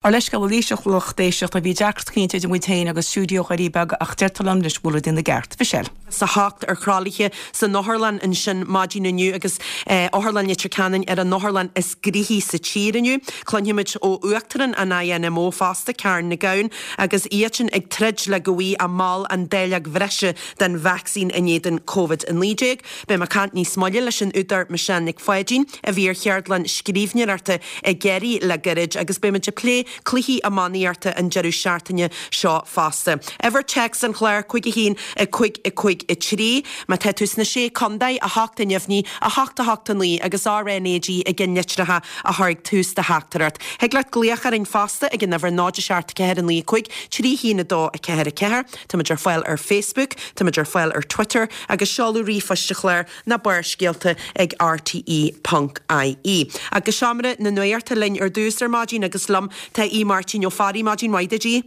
Ár leithscéal arís a lucht éisteachta, bhí deacracht cinnte idir muid féin agus stiúideo Dhoirí Beaga ach deirtear liom anois go bhfuil rudaí ina gceart. Michelle. Sa 8 ar thralaithe san otharlann ansin maidin inniu agus Otharlann Leitir Ceanainn ar an otharlann is gnoithí sa tír inniu. Cluinfimid ó Uachtarán an INMO fosta, Karen Nic Gabhann, agus iadsan ag troid le go bhfaighidh a mbaill an dáileog bhreise den vacsaín in éadan Covid-19. Beidh mé ag caint níos moille leis an údar Michelle Nic Pháidín, a bhí ar cheardlann scríbhneoireachta i gCiarraí le gairid agus beidh muid ag plé cluichí iománaíochta an deireadh seachtaine seo fosta. Uimhir téacs an chláir, 5 1 5 5 3. Má tá tú sna Sé Contae, 8 a neamhní, 8 8 9 agus RnaG i gceannlitreacha a chur ag tús do theachtaireacht. Thig leat glaoch orainn fosta ag an uimhir 0 7 4 9 5 3 1 2 4 4. Táimid ar fáil ar Facebook, táimid ar fáil ar Twitter agus seoladh ríomhphoist an chláir ná Barrscéalta ag rte ponc ie. Agus Seomra na Nuachta linn ar dtús ar maidin agus liom tá Aodh Máirtín Ó Fearraigh. Maidin mhaith duit, Aodh.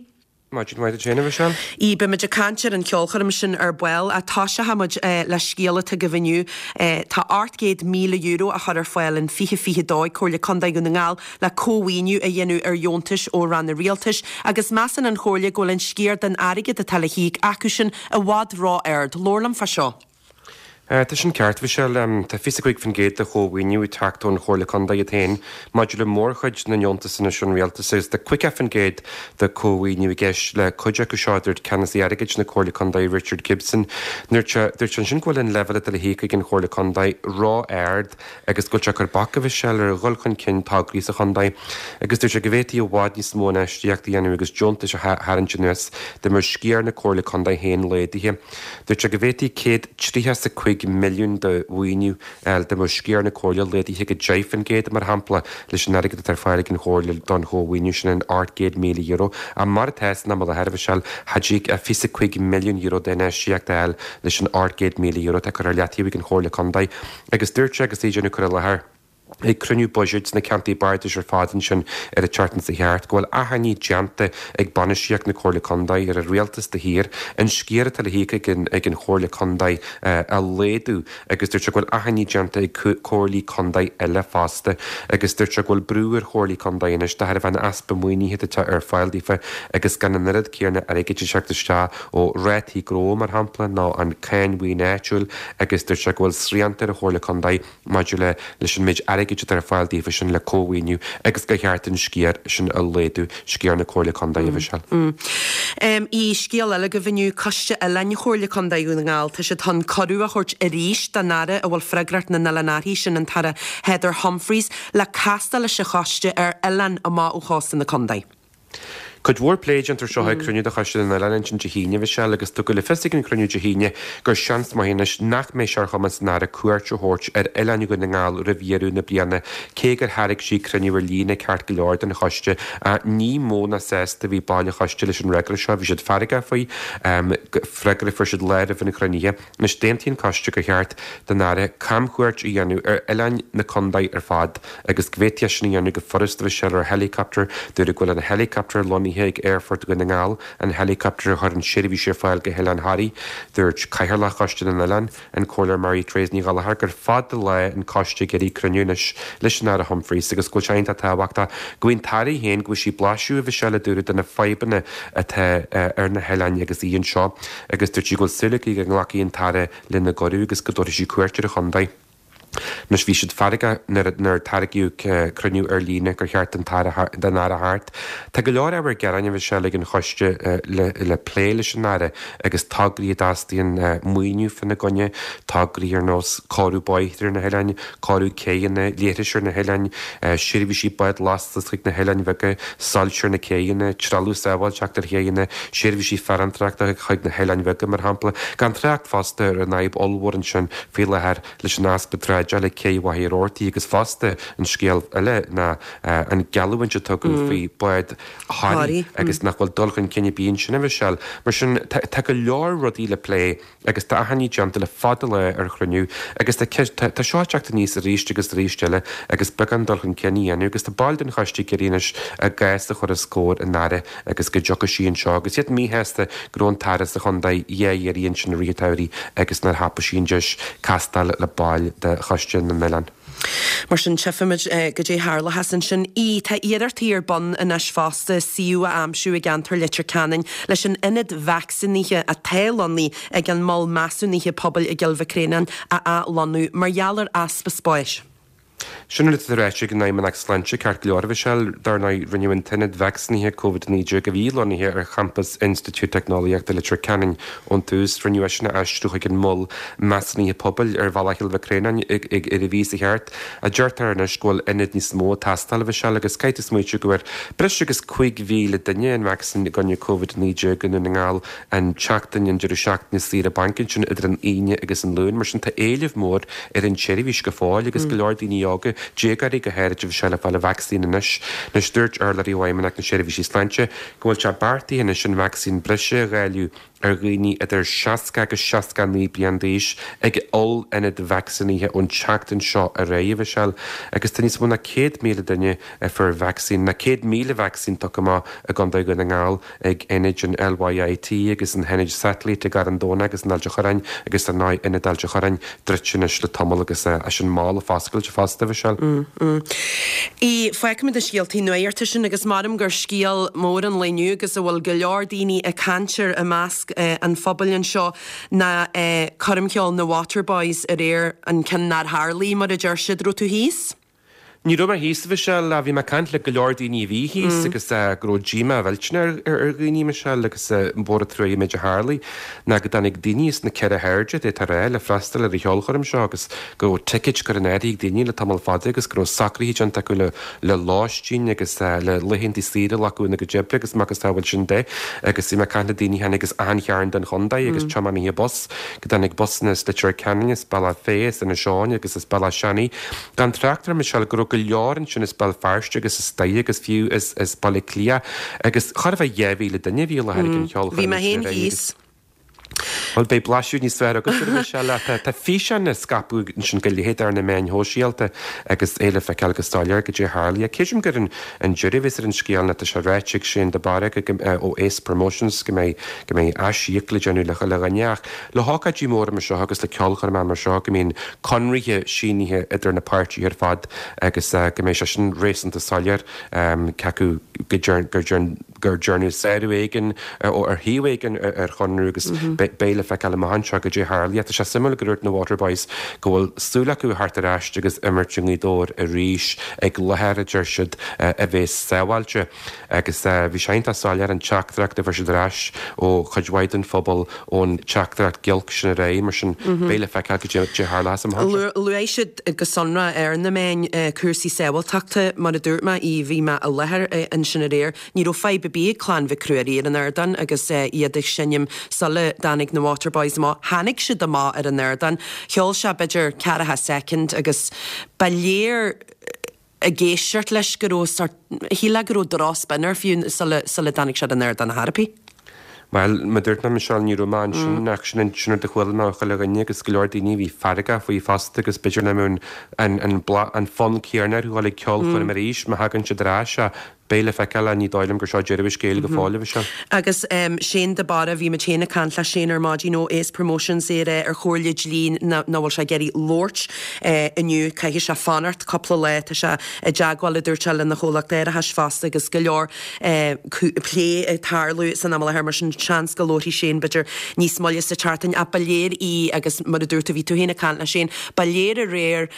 Maidin mhaith duit féin, a Mhichelle. Aodh, beimid ag caint ar an cheolchoirm sin ar ball ach toiseochaidh muid le scéal atá agaibh inniu. Tá €800,000 á chur ar fáil in 2022 ag Comhairle Contae Dhún na nGall le cómhaoiniú a dhéanamh ar dheontais ó ranna rialtais agus measann an Chomhairle go bhfuil an sciar den airgead atá le híoc acusan i bhfad ró-ard. Labhair liom fá seo. Tá sin ceart, Mhichelle. Tá 25% de chómhaoiniú ag teacht ón Chomhairle Contae iad féin maidir le mórchuid na ndeontas anois ón Rialtas agus tá 50% de chómhaoiniú i gceist le cuid acu seo, a dúirt Ceannasaí Airgid na Comhairle Contae Richard Gibson. Dúirt sé ansin go bhfuil an leibhéal atá le híoc ag an Chomhairle Contae ró-ard agus go bhfuil sé ag cur bac, a Mhichelle, ar dhul chun cinn tograí sa chontae agus dúirt sé go bhféadfaí i bhfad níos mó infheistíocht a dhéanamh agus deontais a tharraingt anuas dá mbeadh sciar na Comhairle Contae féin laghdaithe. Dúirt sé go bhféadfaí 135 milliún de mhaoiniú a fháil dá mbeadh sciar na Comhairle laghdaithe go 10%, mar shampla, leis an airgead atá ar fáil ag an Chomhairle don chómhaoiniú sin, an €800,000. Ach mar atá san am i láthair, a Mhichelle, cha dtig ach €25 milliún d'infheistíocht a fháil leis an €800,000 atá curtha ar leataobh ag an Chomhairle Contae. Agus dúirt sé, agus é ag déanamh cur i láthair, ag cruinniú buiséid sna ceantair bardais ar fad ansin ar an tseachtain seo thart, go bhfuil achainí déanta ag bainistíocht na Comhairle Contae ar an Rialtas de shíor an sciar atá le híoc ag an ag an Chomhairle Contae a laghdú agus dúirt sé go bhfuil achainí déanta ag Comhairlí Contae eile fosta agus dúirt sé go bhfuil brú ar Chomhairlí Contae anois de thairbhe an easpa maoinithe atá ar fáil daofa agus gan an oiread céanna airgid ag teacht isteach ó rátaí gnó mar shampla nó an cáin mhaoine áitiúil agus dúirt sé go bhfuil srianta ar an Chomhairle Contae maidir le leis an méid airgid atá ar fáil daofa sin le cómhaoiniú agus gur cheart an sciar sin a laghdú, sciar na Comhairle Contae, a Mhichelle. I scéal eile agaibh inniu, Coiste Oileáin Chomhairle Contae Dhún na nGall, tá siad chun cuireadh a thabhairt arís don Aire a bhfuil freagracht na n-oileán uirthi, sin an tAire Heather Humphreys, le castáil leis an choiste ar oileáin amach ó chósta na contae. Cuid mhór plé déanta air seo ag cruinniú de Choiste na nOileán ansin Dé hAoine, a Mhichelle, agus tugadh le fios ag an chruinniú Dé hAoine gur seans maith anois nach mbeidh sé ar chumas an Aire cuairt a thabhairt ar oileáin Dhún na nGall roimh dheireadh na bliana, cé gur thairg sí cruinniú ar líne ceart go leor don choiste. Ní mó ná sásta a bhí baill an choiste leis an fhreagra seo, bhí siad feargach faoi, freagra a fuair siad lá roimh an chruinnithe. Anois d'aontaigh an coiste gur cheart don Aire camchuairt a dhéanamh ar oileáin na contae ar fad agus go bhféadfaí é sin a dhéanamh go furasta a Mhichelle ar helicopter. Dúradh go bhfuil an helicopter lonnaithe ag Aerfort Dhún na nGall, an helicopter a chuireann seirbhís ar fáil go hOileán Thoraí. Dúirt Cathaoirleach Choiste na nOileán, an Comhairleoir Mary Therese Ní Ghallchóir gur fada lá an coiste ag iarraidh cruinniú anois leis an Aire Humphreys agus go bhfuil sé iontach tábhachtach go bhfaighidh an tAire féin go bhfaighidh sí blaiseadh a Mhichelle a dúradh de na fadhbanna atá ar na hoileáin agus í anseo. agus dúirt sí go bhfuil súil aici go nglacfaidh an tAire lena gcuireadh agus go dtabharfaidh sí cuairt ar an chontae. Anois bhí siad feargach nuair a tairgeadh cruinniú ar líne gur cheart don Aire theacht. Tá go leor ábhar gearáin a Mhichelle ag an choiste le plé leis an Aire agus tograí a dteastaíonn maoiniú fána gcoinne, tograí ar nós cóiriú bóithre ar na hoileáin, cóiriú céidheanna, leithris ar na hoileáin, seirbhísí bád lastais chuig na hoileáin bheaga, soilse ar na céidheanna, trealamh sábháilteachta ar chéidheanna, seirbhísí farantóireachta chuig na hoileáin bheaga, mar shampla. Gan trácht fosta ar an fhadhb ollmhór ansin faoi láthair leis an easpa dráideála ag Cé Mhachaire Rabhartaigh agus fosta an scéal eile ná an geallúint a tugadh faoi bhád Thoraí agus nach bhfuil dul chun cinn ar bith ansin a Mhichelle. Mar sin tá go leor rudaí le plé. agus tá achainí déanta le fada lá ar chruinniú agus tá tá seo ag teacht aníos arís agus arís eile agus beagán dul chun cinn a dhéanamh agus tá baill den choiste ag iarraidh anois a gcás a chur os comhair an Aire agus go dtiocfaidh sí anseo agus iad míshásta go raibh an tAire sa chontae dhá iarraidh ansin i rith an tsamhraidh agus nár thapaigh sí an deis castáil le baill de Choiste na nOileán. Mar sin, tchífimid goidé tharlóchas ansin. ii, Tá iarrachtaí ar bun anois fosta suíomh a aimsiú i gceantar Leitir Ceanainn leis an ionad vacsaínithe atá lonnaithe ag an Mol Measúnaithe Pobail i gCill Mhic Réanáin a athlonnú mar gheall ar easpa spáis. Sin rud atá ráite ag an Fheidhmeannacht Sláinte, ceart go leor, a Mhichelle. Dar ndóigh, rinneadh an t-ionad vacsaínithe Covid-19 a bhí lonnaithe ar champas Institiúid Teicneolaíochta Leitir Ceanainn ón tús, rinneadh é sin a aistriú chuig an Mol Measúnaithe Pobail ar Bhealach Chill Mhic Réanáin ag ar an mhí seo thart. Deirtear anois go bhfuil ionad níos mó ag teastáil, a Mhichelle, agus caithfidh tú smaoitiú go bhfuair breis agus 5,000 duine an vacsaín i gcoinne Covid-19 i nDún na nGall an tseachtain, an deireadh seachtaine saoire bainc ansin idir an Aoine agus an Luan. Mar sin tá éileamh mór ar an tseirbhís go fóill agus go leor daoine óga, déagóirí go háirid, a Mhichelle, ag fáil an vacsaín anois. Anois dúirt urlabhraí ó Fheidhmeannacht na Seirbhísí Sláinte go bhfuil sé beartaithe anois an vacsaín breise a dháileadh ar dhaoine idir 60 agus 69 bliain d'aois ag oll-ionad vacsaínithe ón tseachtain seo ar aghaidh, a Mhichelle, agus tá níos mó ná 100,000 duine a fuair vacsaín, ná 100,000 vacsaín tugtha amach i gContae Dhún na nGall. ag ionaid an LYIT agus na hionaid satailíte i gCarn Domhnach agus in Ailt a' Chorráin agus ar ndóigh Ionad Ailt a' Chorráin druidte anois le tamall agus é sin mall ag foscailt fosta, a Mhichelle. Í, Fágfaimid na scéaltaí nuachta sin agus maram gur scéal mór an lae inniu agus a bhfuil go leor daoine ag caint air i measc an phobail anseo ná coirmcheoil na Waterboys aréir, an ceann nár tharlaigh mar a deir siad. Raibh tú thíos? Ní raibh mé thíos, a Mhichelle, ach bhí mé ag caint le go leor daoine a bhí thíos agus go raibh díomá mhillteanach ar dhaoine, Michelle, agus ba mhór an truaighe an méid a tharlaigh ná go dtáinig daoine as na ceithre hairde, d'fhéadfá a rá, le freastal ar an cheolchoirm seo agus go raibh ticéid curtha in áirithe ag daoine le tamall fada agus go raibh socruithe déanta acu le le lóistín agus le laethanta saoire a ghlacadh ina gcuid oibre agus macasamhail sin de agus bhí mé ag caint le daoine a tháinig as achan chearn den chontae agus tiománaithe bus, go dtáinig busanna as Leitir Ceanainn, as Bealach Féich, as Inis Eoghain agus as Bealach Seanaidh. Gan trácht ar Michelle go raibh go leor ansin as Béal Feirste agus as Doire agus fiú as as Baile Átha Cliath agus chóir a bheith 2,000 duine a bhí i láthair ag an cheolchoirm Bhí mé féin thíos. Bhuel beidh blaiseadh níos fearr agat ar Michelle ach tá tá físeáin á scaipeadh ansin go leithead ar na meáin shóisialta agus é le feiceáil go soiléir goidé a tharlaigh. Creidim gur an an deireadh a bheas ar an scéal ná tá sé ráite ag Shane de Barra go ó Ace Promotions go mbeidh go mbeidh aisíoc le déanamh le chuile dhuine ach Le hócáidí móra mar seo agus le ceolchoirmeacha mar seo go mbíonn conraithe sínithe idir na páirtithe ar fad agus go mbeidh sé sin réasúnta soiléir cé acu gur dearnadh sárú éigin ar thaobh éigin ar chonradh agus beidh le feiceáil amach anseo goidé a tharlaíonn. Tá sé suimiúil go dúirt na Waterboys go bhfuil súil acu a theacht ar ais agus imirt i nGaoth Dobhair arís ag láthair a deir siad a bheas sábháilte. Agus bhí sé iontach soiléir an teachtaireacht a fuair siad ar ais ó chuid mhaith den phobal ón teachtaireacht giolc sin aréir, mar sin beidh le feiceáil goidé a tharlós amach anseo. Luaigh siad go sonrach ar na meáin cúrsaí sábháilteachta, mar a dúirt mé, bhí mé i láthair ansin aréir, ní raibh fadhb ar bith ag Clann Mhic Ruairí ar an ardán agus iad ag seinm sula dtáinig na Waterboys amach. Tháinig siad amach ar an ardán, cheol sé b'fhéidir ceathracha soicind agus ba léir, ag éisteacht leis go raibh sort, shílfeá go raibh drochspin air fiú sula, sula dtáinig sé ar an ardán ar chor ar bith. Bhuel, mar a dúirt mé, Michelle, ní raibh mé ansin ach sin an, sin rud a chuala mé ó chuile dhuine agus go leor daoine a bhí feargach faoi fosta agus b'fhéidir nach mbeadh an, an, an, an fonn céanna orthu dhul ag ceolchoirm arís má thagann siad ar ais ach Beidh le feiceáil ach ní dóigh liom gur seo deireadh an scéil go fóill, a Mhichelle. Agus Shane de Barra, bhí muid féin ag caint le Shane ar maidin ó Ace Promotions, é ag rá ar chomhairle dlí nach bhfuil sé ag iarraidh labhairt inniu, caithfidh sé fanacht cúpla lá, tá sé i dteagmháil, a dúirt sé, lena chomhlacht árachais fosta agus go leor plé ag tarlú san am i láthair, mar sin seans go labharfaidh Shane b'fhéidir níos moille sa tseachtain ach ba léir í agus mar a dúirt tú, bhí tú féin ag caint le Shane, ba léir aréir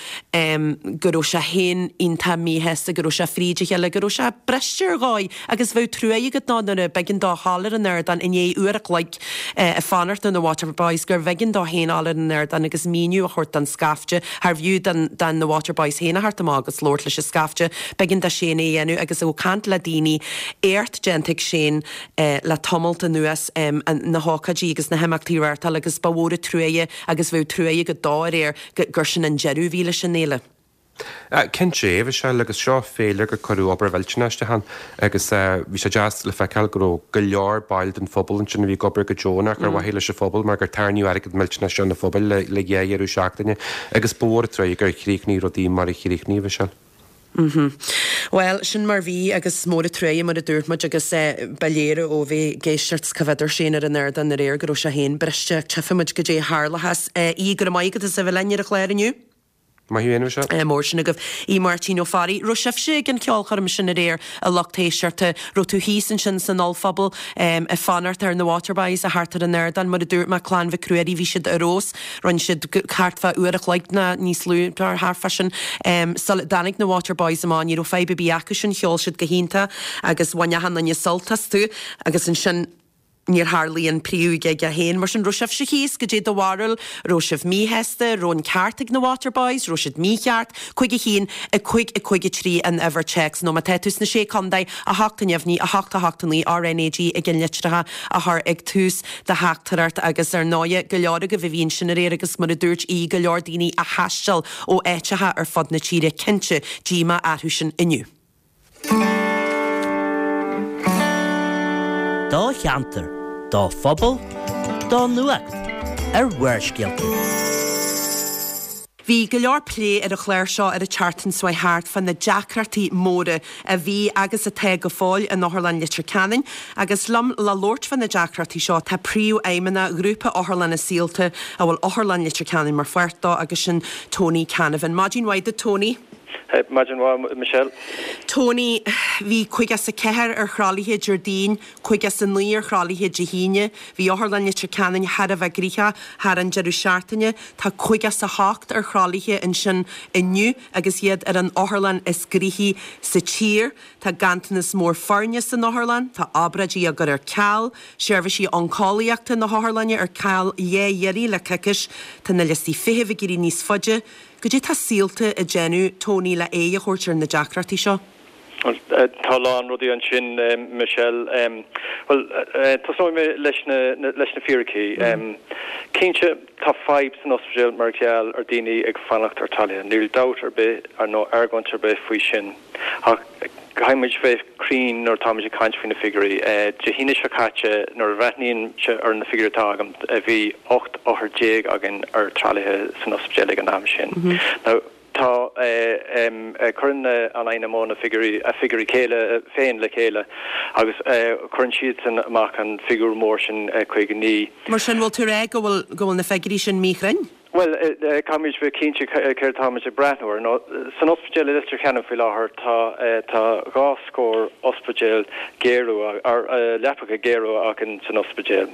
go raibh sé féin iontach míshásta, go raibh sé fríd a chéile, go raibh sé briste ar dhóigh agus bheadh truaighe agat dó nuair a b'éigean dó dhul ar an ardán i ndiaidh uair a chloig ag fanacht ar na Waterboys, gurbh éigean dó féin dhul ar an ardán agus míniú a thabhairt don scaifte, charbh fhiú don na Waterboys féin a theacht amach agus labhairt leis an scaifte, b'éigean do Shane é a dhéanamh agus ag caint le daoine, éacht déanta ag Shane le tamalt anuas na hócáidí agus na himeachtaí a reáchtáil agus ba mhór an truaighe agus bheadh truaighe agat dó aréir gur sin an deireadh a bhí leis an fhéile. Cinnte, a Mhichelle, agus seo féile gur cuireadh obair mhillteanach isteach ann agus bhí sé deas le feiceáil go raibh go leor baill den phobal ansin a bhí ag obair go deonach ar mhaithe leis an phobal mar gur tarraingíodh airgead millteanach isteach chun an phobail le dhá dheireadh seachtaine agus ba mhór an truaighe gur chríochnaigh rudaí mar a chríochnaigh, a Mhichelle. Bhuel, sin mar bhí agus mór an truaighe mar a dúirt muid agus ba léir ó bheith ag éisteacht cá bhfeadar Shane ar an ardán aréir go raibh sé féin briste ach tchífidh muid goidé a tharlóchas. Aodh, go raibh maith agat as a bheith linn ar an chlár inniu. Maith thú fhéin, a Mhichelle. Mór sin agaibh. Aodh Máirtín Ó Fearraigh. Raibh sibhse ag an cheolchoirm sin aréir, a lucht éisteachta? Raibh tú thíos ansin san ollphuball ag fanacht ar na Waterboys a theacht ar an ardán? Mar a dúirt mé, Clann Mhic Ruairí, bhí siad ar fheabhas. Rinne siad thart fá uair a chloig nó níos lú, thart fá sin, sula dtáinig na Waterboys amach. Ní raibh fadhb ar bith acu sin, cheol siad go hiontach agus bhain achan duine sult astu. Agus ansin. Níor tharlaigh an príomh-ghig é féin, mar sin raibh sibhse thíos, goidé do bharúil, raibh sibh míshásta, raibh an ceart ag na Waterboys, raibh siad mícheart, 5 1, 5 5 3 an uimhir téacs, nó má tá tú sna Sé Contae, 8 neamhní, 8 8 9, RnaG ag an litreacha a chur ag tús do theachtaireacht agus ar ndóighe go leor agaibh a bhí ansin aréir agus mar a dúirt Aodh go leor daoine a thaisteal ó áiteacha ar fud na tíre, cinnte díomá orthu sin inniu. Do cheantar, do phobal, do nuacht ar Bharrscéalta. Bhí go leor plé ar an chlár seo ar an tseachtain seo thart fá na deacrachtaí móra a bhí agus atá go fóill in Otharlann Leitir Ceanainn agus liom le labhairt fá na deacrachtaí seo tá Príomhfheidhmeannach Ghrúpa Otharlanna Saolta a bhfuil Otharlann Leitir Ceanainn mar pháirt dó agus sin Tony Canavan. Maidin mhaith duit Tony. Maidin mhaith, Michelle. Tony, Bhí 54 ar thralaithe Déardaoin, 59 ar thralaithe Dé hAoine. Bhí Otharlann Leitir Ceanainn thar a bheith gnoitheach thar an deireadh seachtaine. Tá 58 ar thralaithe ansin inniu agus iad ar an otharlann is gnoithí sa tír. Tá ganntanas mór foirne san otharlann, tá obráidí á gcur ar ceal, seirbhísí oncólaíochta na hotharlainne ar ceal lá iarraidh le coicís, tá na liostaí feithimh ag éirí níos faide. Goidé tá Saolta ag déanamh, Tony, le aghaidh a thabhairt ar na deacrachtaí seo? Bhuel, tá a lán rudaí ansin, Michelle. Bhuel, tosnóidh mé leis na, leis na fíricí. Cinnte, tá fadhb san ospidéal mar gheall ar daoine ag fanacht ar tralaithe. Níl dabht ar bith nó argóint ar bith faoi sin. Ach caithfidh muid bheith cruinn nuair atáimid ag caint faoi na figiúirí. Dé hAoine seo caite, nuair a bhreathnaímse ar na figiúirí atá agam, bhí 18 othar againn ar tralaithe san ospidéal ag an am sin. Now, tá, cuireann an INMO na figiúirí, a figiúirí céile féin le chéile agus cuireann siadsan amach an figiúr mór sin, 59. Mar sin, bhfuil tú ag rá go bhfuil, go bhfuil na figiúirí sin míchruinn? Bhuel, caithfimid bheith cinnte céard atáimid ag breathnú air. Nó, san ospidéal i Leitir Ceanainn faoi láthair tá tá dhá scór ospidéal géarú, leapacha géarú againn san ospidéal.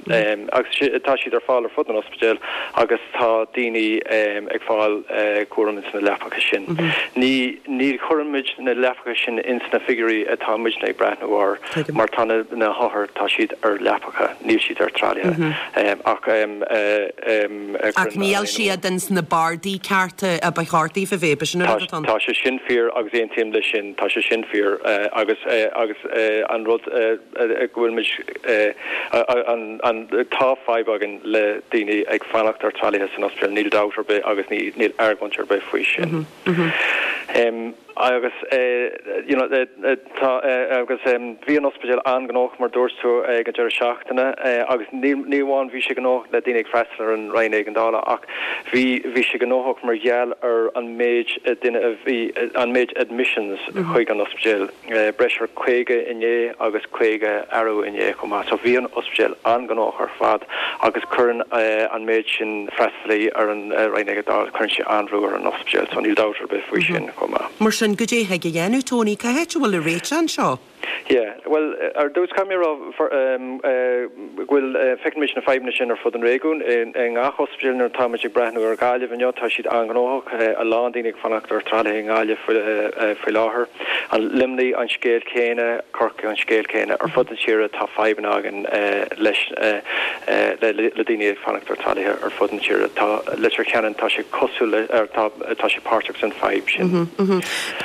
Agus tá siad ar fáil ar fud an ospidéil agus tá daoine ag fáil cúram ins na leapacha sin. Ní ní chuirimid na leapacha sin ins na figiúirí atá muidne ag breathnú air mar tá na na hothair tá siad ar leapacha, níl siad ar tralaithe. Ach. Ach níl siad ins na bardaí cearta a ba cheart daofa bheith, b'shin an rud atá ann. Tá sé sin fíor agus aontaím leis sin, tá sé sin fíor agus agus an rud go bhfuil muid an tá fadhb againn le daoine ag fanacht ar tralaithe san ospidéal, níl dabht ar bith agus níl argóint ar bith faoi sin. Agus you know tá agus bhí an ospidéal an-ghnóthach mar dúirt tú ag an deireadh seachtaine agus ní ní amháin bhí sé gnóthach le daoine ag freastal ar an Roinn Éigeandála ach bhí bhí sé gnóthach mar gheall ar an méid duine a bhí an méid admissions chuig an ospidéal breis ar 50 inné agus 50 arú inné chomh maith. So bhí an ospidéal an-ghnóthach ar fad agus cuireann an méid sin freastalaí ar an Roinn Éigeandála, cuireann sé an-bhrú ar an ospidéal, so níl dabht ar bith faoi sin chomh maith. Mar sin, goidé thig a dhéanamh, Tony? Cá háit a bhfuil an réiteach anseo? Yeah, bhuel, ar dtús caithfidh mé a rá go bhfuil, feiceann muid na fadhbanna sin ar fud an réigiúin, i ngach ospidéal nuair atá muid ag breathnú ar Ghaillimh inniu, tá siad an-ghnóthach, a lán daoine ag fanacht ar tralaithe i nGaillimh faoi láthair. An Luimnigh an scéal céanna, Corcaigh an scéal céanna. Ar fud na tíre tá fadhbanna againn leis le daoine ag fanacht ar tralaithe ar fud na tíre. Tá Leitir Ceanainn, tá sé cosúil le, tá tá sé páirteach san fadhb sin.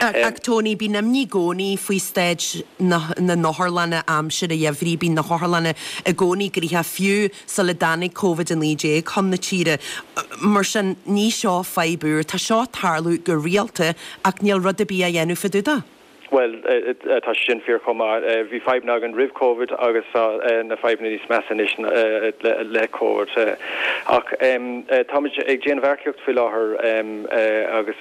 Ach Tony, bíonn imní i gcónaí faoi staid na na n-otharlanna aimsir an gheimhridh, bíonn na hotharlanna i gcónaí gnoitheach fiú sula dtáinig Covid-19 chun na tíre. Mar sin, ní seo fadhb úr, tá seo ag tarlú go rialta ach níl rud ar bith á dhéanamh fá dtaobh de. Bhuel, tá sé sin fíor chomh maith. Bhí fadhbanna againn roimh Covid agus tá na fadhbanna níos measa anois le Covid. Ach táimid ag déanamh earcaíocht faoi láthair agus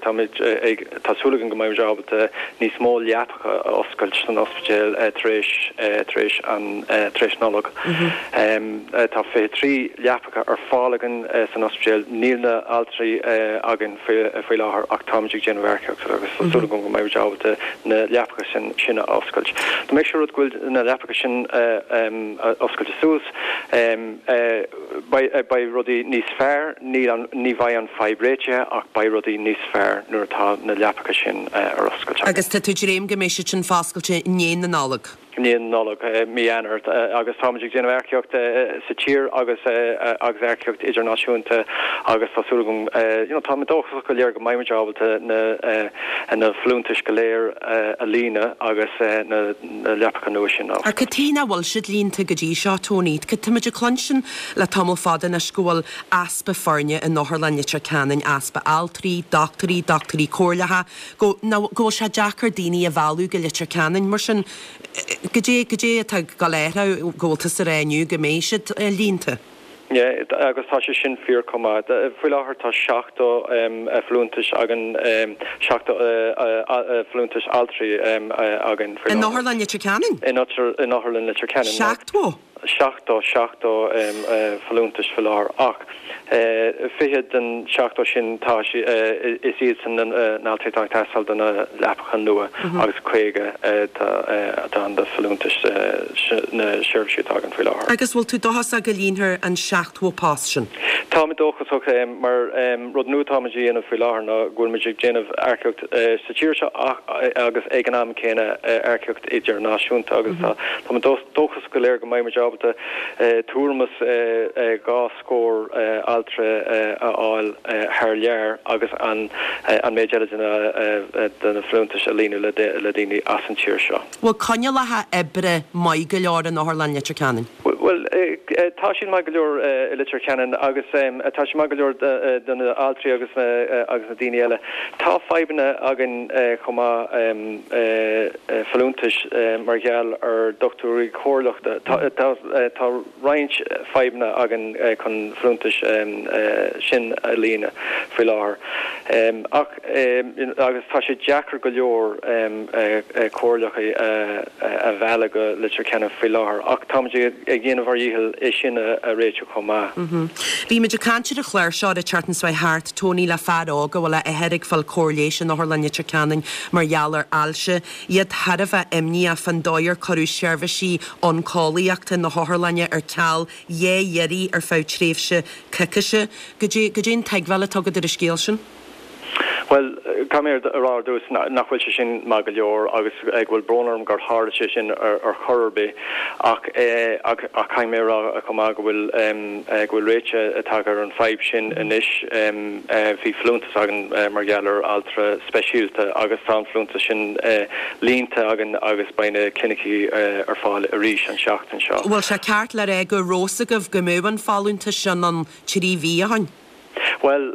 táimid ag, tá súil againn go mbeimid ábalta níos mó leapacha a oscailt san ospidéal tar éis, tar éis an, tar éis Nollag. Tá 23 leapacha ar fáil againn san ospidéal. Níl na altraí againn. faoi láthair ach táimid ag déanamh earcaíochta agus tá súil agam go mbeimid ábalta na leapacha sin a oscailt. Dá mbeadh sé rud go bhfuil na leapacha sin oscailte suas, beidh rudaí níos fearr, ní bheidh an fadhb réitithe ach beidh rudaí níos fearr nuair atá na leapacha sin ar oscailt againn. Agus tá tú ag dréim go mbeidh siad sin foscailte i ndiaidh na Nollag? I ndiaidh na Nollag, mí Eanáir, agus táimid ag déanamh earcaíocht sa tír agus agus earcaíocht idirnáisiúnta agus tá súil agam, you know, táimid dóchasach go léir go mbeimid ábalta na na folúntais go léir a líonadh agus na leapacha nua sin a Ach cad chuige nach bhfuil siad líonta go dtí seo, Tony? Táimid ag cluinstin le tamall fada anois go bhfuil easpa foirne in Otharlann Leitir Ceanainn, easpa altraí, dochtúirí, dochtúirí comhairleacha, go go bhfuil sé deacair daoine a mhealladh go Leitir Ceanainn. Mar sin, goidé, goidé atá ag dul a athrú go bhfuil tusa ag rá inniu go mbeidh siad líonta? Yeah, agus tá sé sin fíor chomh maith. Faoi láthair tá 70 folúntais againn, 70 folúntais altraí againn faoi láthair. In Otharlann Leitir Ceanainn? In Otharlann Leitir Ceanainn. 70? 70, 70 folúntais faoi láthair ach 20 den 70 sin tá is iadsan na altraí atá ag teastáil do na leapacha nua agus 50 atá ann do folúntais na seirbhísí atá againn faoi láthair. Agus bhfuil tú dóchasach go líonfar an 70 post sin? Táimid dóchasach mar rud nua atáimid a dhéanamh faoi láthair ná go bhfuilimid ag déanamh earcaíocht sa tír seo agus ag an am céanna earcaíocht idirnáisiúnta agus táimid dóchasach go léir go mbeimid ábalta tuairim is 2 scór altra a fháil thar lear agus an méid eile de na folúntais a líonadh le daoine as an tír seo. Bhfuil coinníollacha oibre maith go leor in Otharlann Leitir Ceanainn? Bhuel, tá siad maith go leor i Leitir Ceanainn agus tá siad maith go leor do na altraí agus na daoine eile. Tá fadhbanna againn chomh maith, folúntais mar gheall ar dochtúirí comhairleachta. Tá roinnt fadhbanna againn chun folúntais sin a líonadh faoi láthair. Ach agus tá sé deacair go leor comhairleacha a mhealladh go Leitir Ceanainn faoi láthair ach táimid ag déanamh ár dhícheall é sin a réiteach chomh maith. Bhí muid ag caint ar an chlár seo an tseachtain seo thart, Tony, le fear óg a bhfuil a athair ag fáil cóir leighis in Otharlann Leitir Ceanainn mar gheall ar ailse. Iad thar a bheith imníoch fán dóigh ar cuireadh seirbhísí oncólaíochta na hotharlainne ar ceal dhá iarraidh ar feadh tréimhse coicíse. Goidé, goidé an tuigbheáil atá agat ar an scéal sin? Bhuel, caithfidh mé a rá ar dtús nach bhfuil sé sin maith go leor agus go bhfuil brón orm gur tharla sé sin ar chor ar bith ach ach caithfidh mé a rá chomh maith go bhfuil go bhfuil réiteach tagtha ar an fadhb sin anois. Bhí folúntas againn mar gheall ar altra speisialta agus tá an folúntas sin líonta againn agus beidh na clinicí ar fáil arís an tseachtain seo. Bhfuil sé ceart le rá go raibh fhios agaibh go mbeadh an folúntas sin ann 3 mhí ó shin? Bhuel,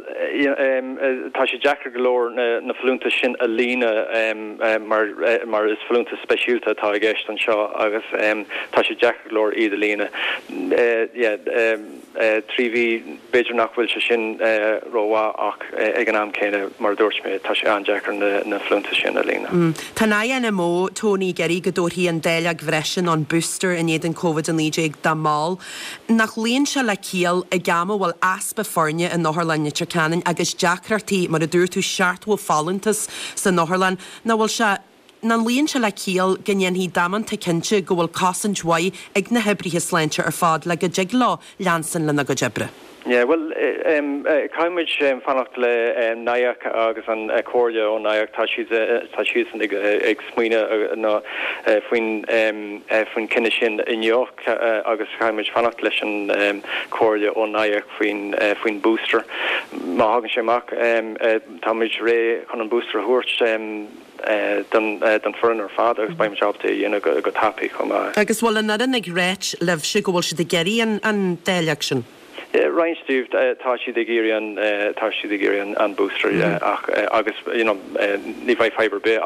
tá sé deacair go leor na folúntais sin a líonadh mar is folúntas speisialta atá i gceist anseo agus tá sé deacair go leor iad a líonadh. 3 mhí, b'fhéidir nach bhfuil sé sin rómhaith ach ag an am céanna, mar a dúirt mé, tá sé an-deacair na folúntais sin a líonadh. Tá an INMO, Tony, ag iarraidh go dtabharfaí an dáileog bhreise nó an booster in éadan Covid-19 dá mball. Nach luíonn sé le ciall ag am a bhfuil easpa foirne in Otharlann Leitir Ceanainn agus deacrachtaí, mar a dúirt tú, 70 folúntas san otharlann, nach bhfuil sé, nach luíonn sé le ciall go ndéanfaí damanta cinnte go bhfuil cosaint mhaith ag na hoibrithe sláinte ar fad le go dtig leo leanstan lena gcuid oibre? Yeah, bhuel, caithfimid fanacht le NIAC agus an comhairle ó NIAC, tá siad, tá siadsan ag ag smaoineamh faoin faoin cinneadh sin inniu agus caithfimid fanacht leis an comhairle ó NIAC faoin faoin booster. Má thagann sé amach, táimid réidh chun an booster a thabhairt. don foireann ar fad agus beidh muid ábalta é a dhéanamh go tapaidh chomh maith. Agus bhfuil an fhoireann ag ráit libhse go bhfuil siad ag iarraidh an dáileog sin? Roinnt díobh tá siad ag iarraidh an tá siad ag iarraidh an booster ach agus you know ní bheidh fadhb ar bith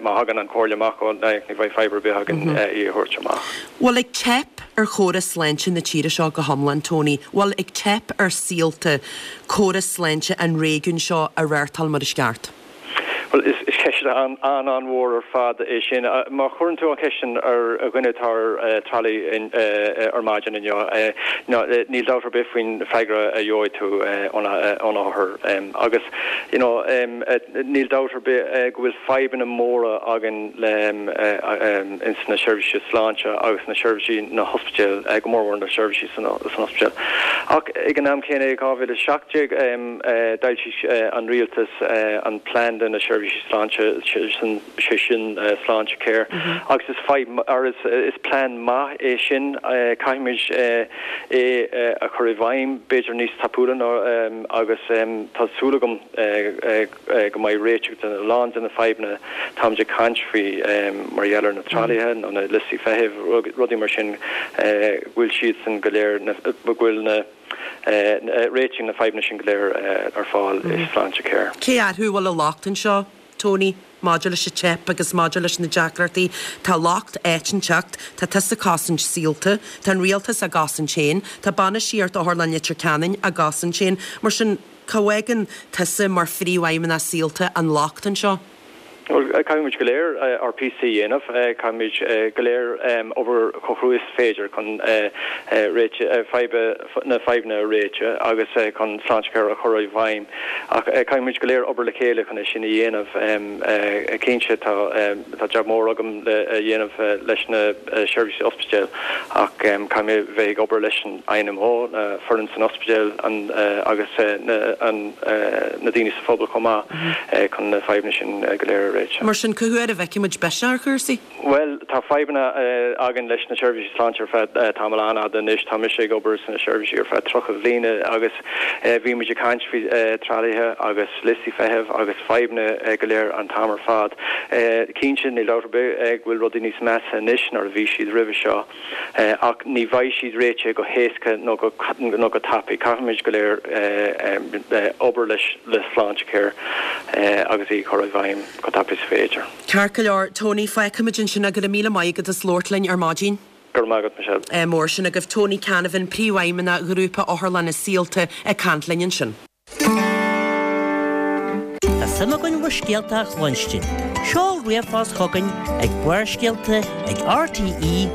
má thagann an comhairle amach ó NIAC ní bheidh fadhb ar bith againn í a thabhairt amach. Bhfuil ag teip ar chóras sláinte na tíre seo go hiomlán, Tony? Bhfuil ag teip ar Saolta córas sláinte an réigiúin seo a reáchtáil mar is ceart? Bhuel, is ceist an-an-mhór ar fad é sin. Má chuireann tú an cheist sin ar dhuine atá ar tralaí ar maidin inniu, níl dabht ar bith faoin freagra a gheobhaidh tú ón othar. Agus, you know, níl dabht ar bith go bhfuil fadhbanna móra againn ins na seirbhísí sláinte agus na seirbhísí na hospidéil, go mórmhór na seirbhísí san ospidéal. Ach ag an am céanna, i 2017, D'fhoilsigh an rialtas an plean do na seirbhísí sláinte, sé sin Sláintecare, agus is fadhb, or is plean maith é sin. Caithfimid é a chur i bhfeidhm, b'fhéidir níos tapúla ná, agus tá súil agam go mbeidh réiteach do a lán de na fadhbanna táimid ag caint faoi mar gheall ar na tralaithe nó na liostaí feithimh, rudaí mar sin, go bhfuil siadsan go léir, go bhfuil na. réitigh na fadhbanna sin go léir ar fáil i Sláintecare. Cé orthu a bhfuil an locht anseo, Tony, maidir leis an teip agus maidir leis na deacrachtaí? Tá locht áit inteacht, tá tusa ag cosaint Saolta, tá an rialtas á gcosaint féin, tá bainistíocht Otharlann Leitir Ceanainn á gcosaint féin. Mar sin, cá bhfágann tusa mar phríomhfheidhmeannach Saolta an locht anseo? Bhuel, caithfidh muid go léir ár píosa a dhéanamh. Caithfimid go léir obair chomh crua is féidir chun réiteach, na fadhbanna a réiteach agus chun Sláintecare a chur i bhfeidhm. Ach caithfidh muid go léir obair le chéile chun é sin a dhéanamh. Cinnte, tá jab mór agam le dhéanamh leis na seirbhísí ospidéil ach caithfidh mé bheith ag obair leis an INMO, na foireann san ospidéal agus na daoine sa phobal chomh maith chun na fadhbanna sin go léir a réiteach. Mar sin, cá huair a bhfeicfidh muid biseach ar chúrsaí? Bhuel, tá fadhbanna againn leis na seirbhísí sláinte ar feadh tamall an-fhada anois. Tá mise ag obair sna seirbhísí ar feadh 30 bhliana agus bhí muid ag caint faoi tralaithe agus liostaí feithimh agus fadhbanna go léir an t-am ar fad. Cinnte, níl dabht ar bith go bhfuil rudaí níos measa anois ná a bhí siad roimhe seo. Ach ní bheidh siad réitithe go héasca nó go tapaidh. Caithfimid go léir obair leis le Sláintecare agus í a chur i bhfeidhm chomh tapaidh is féidir. Ceart go leor, Tony, fágfaimid ansin é. Go raibh míle maith agat as labhairt linn ar maidin. Go raibh maith agat, Michelle. Mór sin agaibh. Tony Canavan, Príomhfheidhmeannach Ghrúpa Otharlanna Saolta ag caint linn ansin. Tá suim againn bhur scéalta a chluinstin. Seol ríomhphost chugainn ag Barrscéalta ag rte.ie.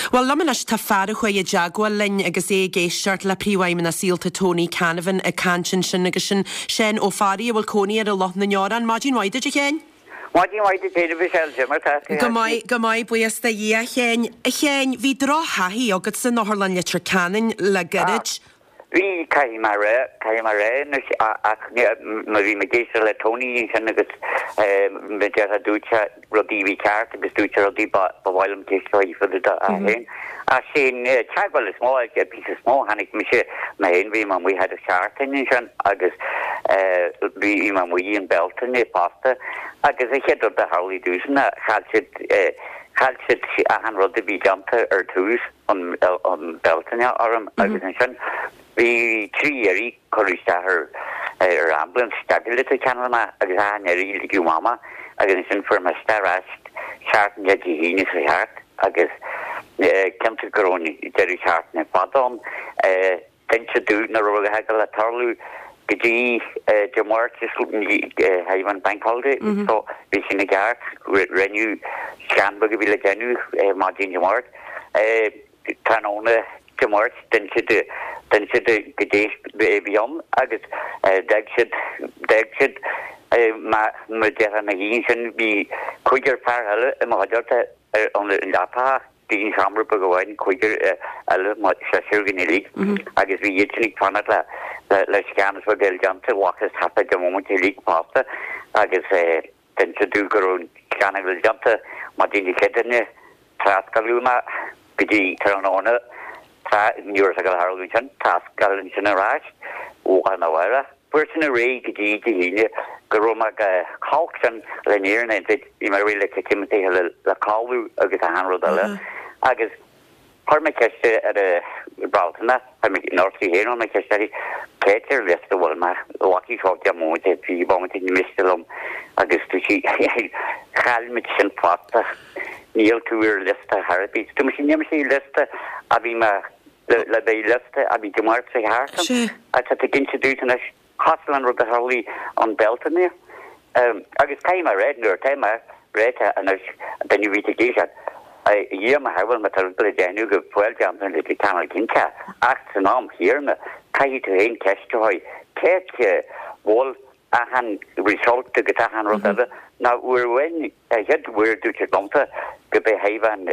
Bhuel, liom anois tá fear a chuaigh i dteagmháil linn agus é ag éisteacht le Príomhfheidhmeannach Saolta Tony Canavan ag caint ansin agus sin Seán Ó Fearraigh a bhfuil cónaí air i Loch na nDeorán. Maidin mhaith duit a Sheáin. Maidin mhaith duit féin a Mhichelle, cad é mar tá tú? Go maith, go maith, buíochas do Dhia, a Sheáin. A Sheáin, bhí droch-thaithí agat san Otharlann Leitir Ceanainn le gairid. Bhí, caithfidh mé a rá, caithfidh mé a rá anois, ach má bhí mé ag éisteacht le Tony ansin agus mar déarfá dúirt sé rudaí a bhí ceart agus dúirt sé rudaí ba mhaith liom ceist a chur air féin. Ach sé an teagmháil is mó, an píosa is mó, tháinig mise mé féin, bhí mé amuigh thar an seachtain ansin agus bhí mé amuigh i mBealtaine fosta agus an chéad rud a tharlaigh domhsa ná chaill siad, chaill siad achan rud a bhí déanta ar tús an Bealtaine orm agus ansin bhí 3 iarraidh cuireadh isteach ar ar ambulance isteach go Leitir Ceanainn mé agus achan iarraidh ligeadh amach mé agus ansin fuair mé isteach ar ais seachtain le Dé hAoine seo thart agus cinnte go raibh an deireadh seachtaine fada ann. D'inseadh domh nach raibh a dhath ag dul a tarlú go dtí Dé Máirt is thaobh an Bank Holiday so bhí sin i gceart. Rinneadh scan beag a bhí le déanamh maidin Dé Máirt. Tráthnóna Dé Máirt d'inseadh d'inseadh domh goidé a bhí ann agus d'fhág siad d'fhág siad mar déarfá ina dhiaidh sin bhí cúigear fear eile i mo chuideachta ar an leapacha. Bhí an seomra beag amháin, cúigear eile, seisear againn uilig, agus bhí iad sin ag fanacht le le scan is rud eile déanta, bhfacthas thart ar deich mbomaite uilig fosta agus d'inseadh domh go raibh an scan uilig déanta maidin Dé Céadaoine, trascaoileadh mé go dtí tráthnóna, tráth ní raibh sé ag dul a tharlú ansin, trascaoileadh ansin ar ais, lá arna mhárach. Fuair sin ar aghaidh go dtí Dé hAoine go raibh mé chomh holc sin le an fhírinne a insint, bhí mé réidh le titim le le codladh agus achan rud eile agus. Chuir mé ceist ar an Bealtaine, chuir mé nurse í féin, chuir mé ceist uirthi, cé atá ar liosta a bhfuil mé, lucky seo deich mbomaite, 20 bomaite, ní miste liom agus dúirt sí, chaill muid sin fosta, níl tú ar liosta ar bith. Dúirt mise, níl mise ar liosta a bhí mé, le bheith liosta a bhí Dé Máirt seo thart ann, tá tú ag inse domhsa anois. Cosúil an rud a tharlaigh an Bealtaine. Agus caithfidh mé a rá, nuair atá mé ráite anois, duine a bhí ag éisteacht, a Dhia mo shábháil, má tá rud le déanamh go fóill déanta le tamall cinnte, ach san am chéanna, caithfidh tú féin ceist a chur, cé a bhfuil achan result agus achan rud eile, ná uair amháin, an chéad uair a dúirt siad liomsa go b'é fadhb an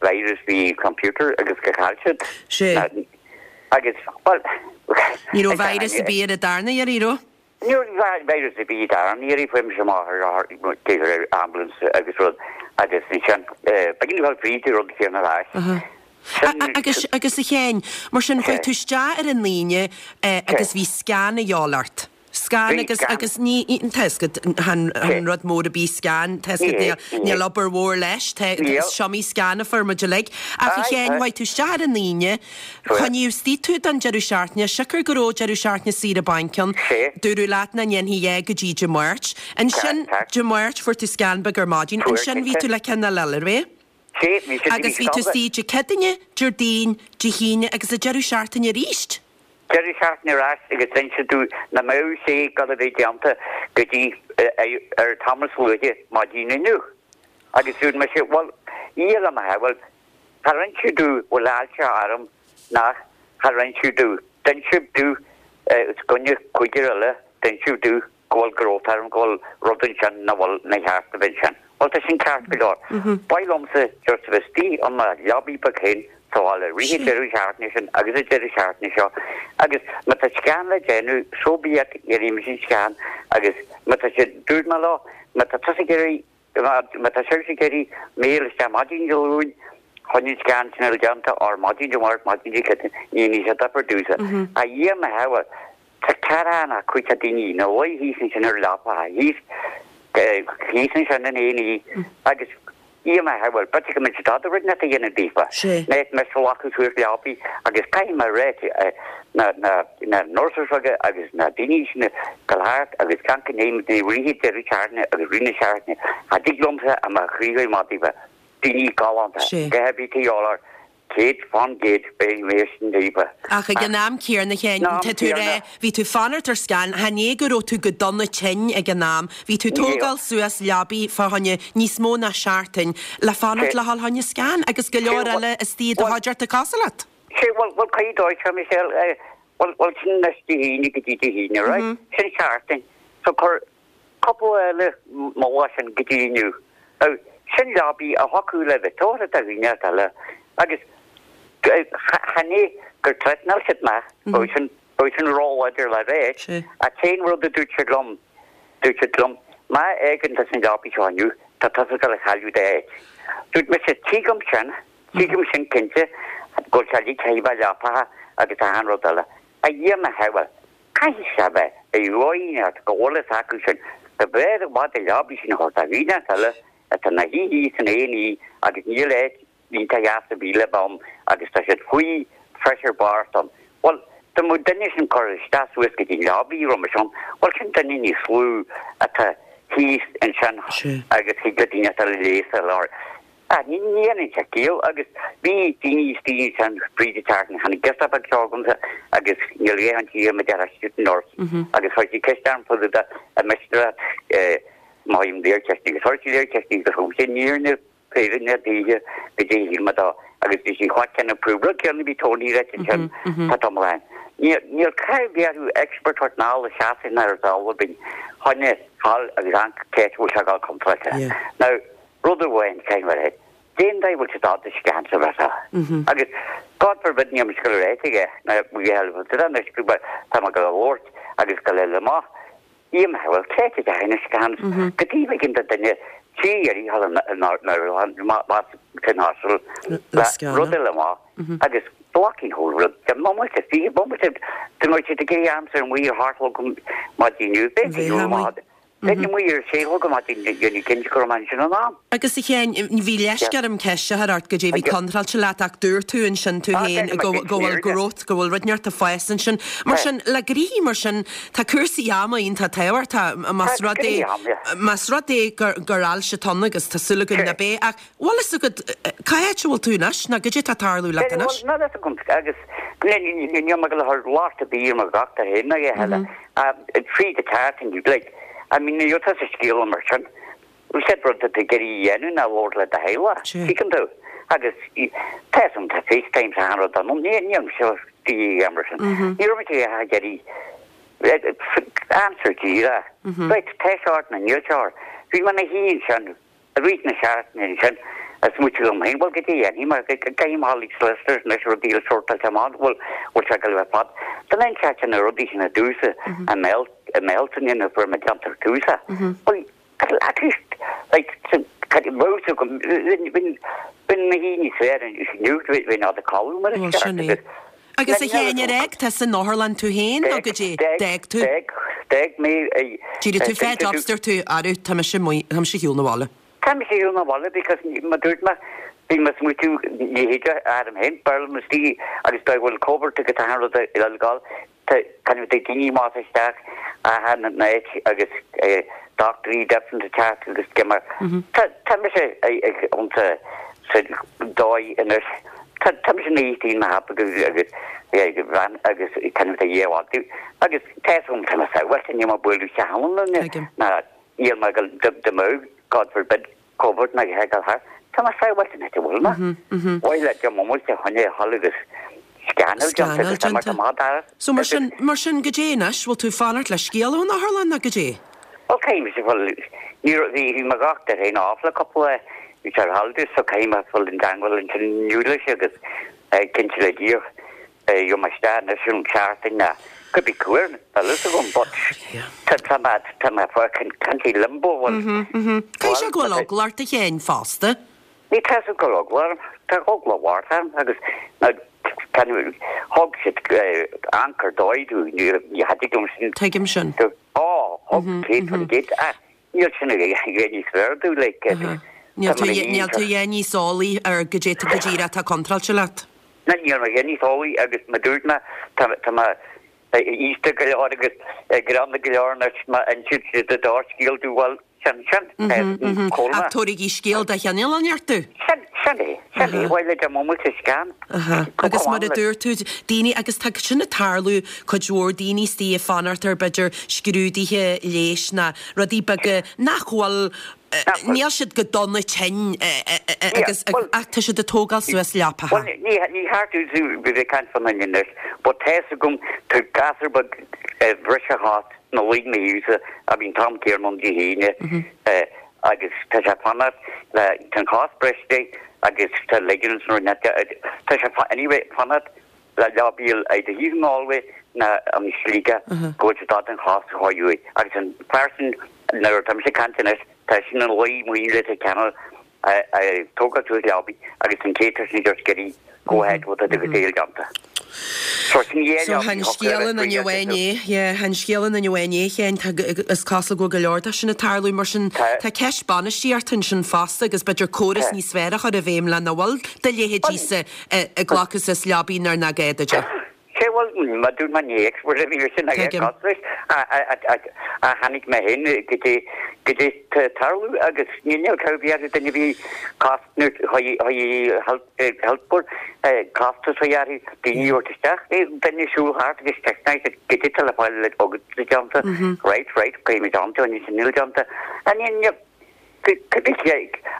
virus bhí computer agus go chaill siad. Sea. Agus, bhuel. Ní raibh virus ar bith ar an darna iarraidh, raibh? Ní raibh virus ar bith ar darna iarraidh, fuair mise amach ar ar ambulance agus rud agus ansin, b'éigean dul fríd an rud céanna ar ais. Agus, agus a Sheáin, mar sin, chuaigh tú isteach ar an Aoine agus bhí scan a dhíobháil ort. Scan agus, agus ní, tá fhios agat, chan rud mór ar bith scan, tá fhios agat, níl, níl obair mhór leis, tá, is iomaí scan a fuair muid uilig. Ach a Sheáin, chuaigh tú isteach ar an Aoine, coinníodh istigh tú don deireadh seachtaine, siocair go raibh deireadh seachtaine saoire bainc ann, dúradh leat nach ndéanfaí é go dtí Dé Máirt. Ansin, Dé Máirt, fuair tú scan beag ar maidin, ansin bhí tú le ceann eile, arbh ea? Agus bhí tú istigh Dé Céadaoine, Déardaoin, Dé hAoine agus an deireadh seachtaine arís. Deireadh seachtaine ar ais agus d'inis domh nach mbeadh sé ag dul a bheith déanta go dtí ar tamall is luaithe maidin inniu. Agus dúirt mise, bhuel, Dhia le mo shábháil, char inseadh domh bhfuil ailse orm nach char inseadh domh. D'inseadh domh os coinne cúigear eile, d'inseadh domh go bhfuil growth orm, go bhfuil rud ansin nach bhfuil nár cheart a bheith ansin. Bhuel, tá sin ceart go leor. Ba mhaith liomsa just a bheith istigh i mo leabaidh beag féin sa bhaile i rith an deireadh seachtaine sin agus an deireadh seachtaine seo agus má tá scan le déanamh, so be it, dhéanfaidh mise an scan agus má tá sé, dúirt mé leo, má tá tusa ag iarraidh, má tá sibhse ag iarraidh mé a fháil isteach maidin Dé Luain chun an scan sin a fháil déanta or maidin Dé Máirt, maidin Dé Céadaoin, ní dhéanfaidh sé difear domhsa. A Dhia mo shábháil, Tá ceathrar nó cúigear daoine ina luí thíos ansin ar leapa, thíos, thíos ansin in A&E agus Dhia mo shábháil, b'fhéidir go mbeadh siad dada rud inteacht a dhéanamh daofa. Mé mise a ghlacadh suas leapaí agus caithfidh mé a rá na, na, na nurses aige agus na daoine sin ag dul thart agus gan go ndéanfaidh mé rith an deireadh seachtaine agus rith na seachtaine, cha dtig liomsa a mo chroí a choimeád daofa. Daoine galánta, gach ar bith taobh eile 100% beidh mé sin daofa. Ach ag an am céanna, a Sheáin, tá tú ag rá, bhí tú fanacht ar scan, chan é go raibh tú go dona tinn ag an am, bhí tú tógáil suas leabaidh fá choinne níos mó ná seachtain le fanacht le dhul choinne scan agus go leor eile istigh i do chuideachta cosúil leat. Sea, bhuel, bhuel, caithfidh dóigh seo, Michelle, bhuel, bhuel, sin anois Dé hAoine go dtí Dé hAoine, right? Sin seachtain. So cuir cúpla eile mo lá sin go dtí inniu. Now, sin leabaidh a thiocfadh le bheith tabhartha do dhaoine eile agus chan é gur threatenáil siad mé, bheadh sin, bheadh sin róláidir le rá, ach cén rud a dúirt siad liom, dúirt siad liom, má fhágann tusa an leabaidh seo inniu, tá tusa ag dul a chailleadh d'áit. Dúirt mise, tuigim sin, tuigim sin cinnte, go bhfuil sé uilig caithfidh bheith leapacha agus achan rud eile. A Dhia mo shábháil, Caithfidh sé bheith i bhfoighneacht go bhfuil fhios acu sin go mb'fhearr i bhfad an leabaidh sin a thabhairt do dhaoine eile atá ina shuí thíos in A&E agus níl áit iontach dheas ar bith le bheith ann agus tá siad faoi phressure bocht ann. Bhuel, dá mbeadh duine sin curtha isteach suas go dtí an leabaidh roimis ann, bhuel sin duine níos lú atá thíos ansin agus thig le daoine eile leigheas a fháil. Ah, ní dhéanann sé ciall agus bhí daoine istigh ansin fríd an tseachtain, tháinig girseach beag seo agamsa agus níl a dhath an tír mar deir student nurse agus chuir sí ceist orm fá dtaobh de an miste leat má thaím léir ceist agus chuir sí léir ceist agus thug sí an fhírinne fírinne daoithe go dtí shíl mé dó agus bhí sí chomh céanna prove rud céanna bhí Tony ráite ansin tá tamall ann. Níl níl caithfidh bheith orthu expert thabhairt anall i seasamh ar dul binn choinne fáil agus an ceist bhfuil sé ag dul contráilte. Now Rud amháin, caithfidh mé a rá, cén dóigh a bhfuil siad ábalta scan sa bhreis Agus God forbid níl mise ag dul a ráit aige ná anois go tá mé ag dul a labhairt agus go leil amach Iam bhuel cé a dheachaigh na scans go taobh éigin de duine tí iarraidh san hospital le rud eile amach agus blocking whole rud de bomaite 20 bomaite de mar siad ag iarraidh aimsir amuigh ar thart maidin inniu b'fhéidir go maith. Bheinn amuigh ar a sé a chlog ar maidin déanamh cinnte go raibh mé ansin in am. Agus a Sheáin, bhí leisce orm ceist a chur ort goidé a bhí contráilte leat ach dúirt tú ansin tú féin go bhfuil growth, go bhfuil rud inteacht ag fás ansin. Mar sin, le gnoithí mar sin, tá cúrsaí ama iontach tábhachtach más rud é, más rud é gur ailse atá ann agus tá súil againn nach b'é ach bhfuil fhios agat cá háit a bhfuil tú anois nó goidé atá ag tarlú leat anois? Bhuel, níl fhios agam agus níl mé ag dul a chur locht ar bith ar mo dhochtúir féin ná a dhath eile. Tríd an tseachtain, like, I mean, ní raibh tusa scéala mar sin. An chéad rud atá tú ag iarraidh a dhéanamh ná labhairt le do theaghlach, tuigeann tú. Agus tá fhios agam, tá FaceTime is achan rud ann, ní níl mise de dhíth mar sin. Ní raibh mise ag iarraidh answer díreach. Right, tá sé ort nó níl sé ort. Bhí mé ina shuí ansin. I rith na seachtaine ansin, ag smaoitiú liom féin, bhuel, goidé a dhéanfaidh mé, caithfidh mé dhul ag solicitors anois, rudaí le sórtáilte amach, bhuel, bhfuil sé ag dul a bheith fada. Don aon seachtain na rudaí sin i dtús i mBéal, i mBealtaine nuair a fuair mé déanta ar tús é. Bhuel, at least, like, bheadh fhios agam, bheinn, bheinn ina shuí níos fearr inniu, bheinn in ann codladh mar is ceart agus. Agus a Sheáin, ar fhág tusa an otharlann tú féin nó goidé? D'fhág tú? D'fhág, d'fhág mé i. D'éirigh tú fed up, dúirt tú, arú, tá mise amuigh, tá mise ar shiúl na bhaile. Tá mise ar shiúl na bhaile because mar dúirt mé, bhí mé ag smaoitiú, ní féidir orm féin, b'fhearr liom istigh agus dá bhfuil COVID agus achan rud ag gabháil, tá kind of daoine amach is isteach achan áit agus dochtúirí different ag teacht agus cuma. Tá, tá mise ag, ionta sa dóigh anois. Tá tá mise ina shuí i mo leaba agus agus bhean agus kind of a dhia mhaith agus tá fhios agam tá mé sábháilte níl mé ag bualadh isteach ann ná Tuigim. ná níl mé ag dul dá dá mbeadh God forbid COVID ná a dhath ag dul thart. Tá mé sábháilte an áit a bhfuil mé. Mhaith le Jim Mummel a choinne a dhul agus scannáil déanta Scannáil agus tá déanta. amach dara. So mar sin mar sin goidé anois, bhfuil tú ag fanacht le scéala ón otharlann nó goidé? Bhuel caithfidh mise bhuel ní raibh bhí bhí mo dhochtúir féin off le cúpla lá bhí sé ar holidays so caithfidh mé dul i dteangmháil ansin inniu leis agus cinnte le Dia gheobhaidh mé isteach anois an tseachtain ná could be cuar níl fhios agam but tá tá mé tá mé fucking kind of limbo bhuel Caithfidh sé go bhfuil eagla ort a Sheáin fosta. Ní tá fhios go bhfuil eagla orm tá eagla mhór orm agus na thug siad anchor dóigh domh ní thig liom sin Tuigim sin. Á, thug 100% ach níl sin a dhath níos fearr domh like Níl tú níl tú a dhath níos eolaí ar goidé go díreach atá contráilte leat. Níl mé a dhath níos eolaí agus mar dúirt mé tá tá mé aosta go leor agus gránna go leor anois má insíonn siad do do scéal domh bhuel sin sin comhla. Ach tabharfaidh scéal de chineál inteacht domh. Sin sin é sin é bhuel le Jim Mummel sa scan. Agus mar a dúirt tú, daoine, agus tá sin ag tarlú, cuid mhór daoine istigh ag fanacht ar b'fhéidir scrúduithe leighis ná rudaí beaga nach bhfuil, níl siad go dona tinn agus ach tá siad ag tógáil suas leapacha. Bhuel, ní ní cheart domh bheith ag caint fán duine anois, but tá fhios agam tá gasúr beag a bhris a chos ina luí i mo thaobhsa a bhí an t-am céanna ann Dé hAoine agus tá sé ag fanacht le, tá an chos briste agus tá ligaments nó tá sé anyway ag fanacht le leabaí either thíos i nGalway ná i Sligeach go bhfuil siad ábalta an chos a chur uaidh agus an fear sin nuair atá mise ag caint anois tá sin ina luí amuigh i Leitir Ceanainn ag tógáil suas leabaí agus an chéad sin just getting go ahead with it agus é déanta. So sin é So chan scéal an duine amháin é, yeah, chan scéal an duine amháin é, Sheáin, tá, is cosúil go bhfuil go leor de sin ag tarlú, mar sin tá ceist bainistíochta ansin fosta agus b'fhéidir córas níos fearr a chur i bhfeidhm le nach bhfuil do leithéidíse ag glacadh suas leabaí nuair nach gá duit é. Sé bhuel, mar dúirt mé ní expert a bhí sin ag Tuigim. costais a tháinig mé féin go dtí go dtí tarlú agus ní níl cur bhí ar duine bhí cos nó health board costas a dhearfaidh daoine a thabhairt isteach duine siúl thart agus isteach go dtí le fáil le agat déanta right right caithfimid an sin níl déanta a ní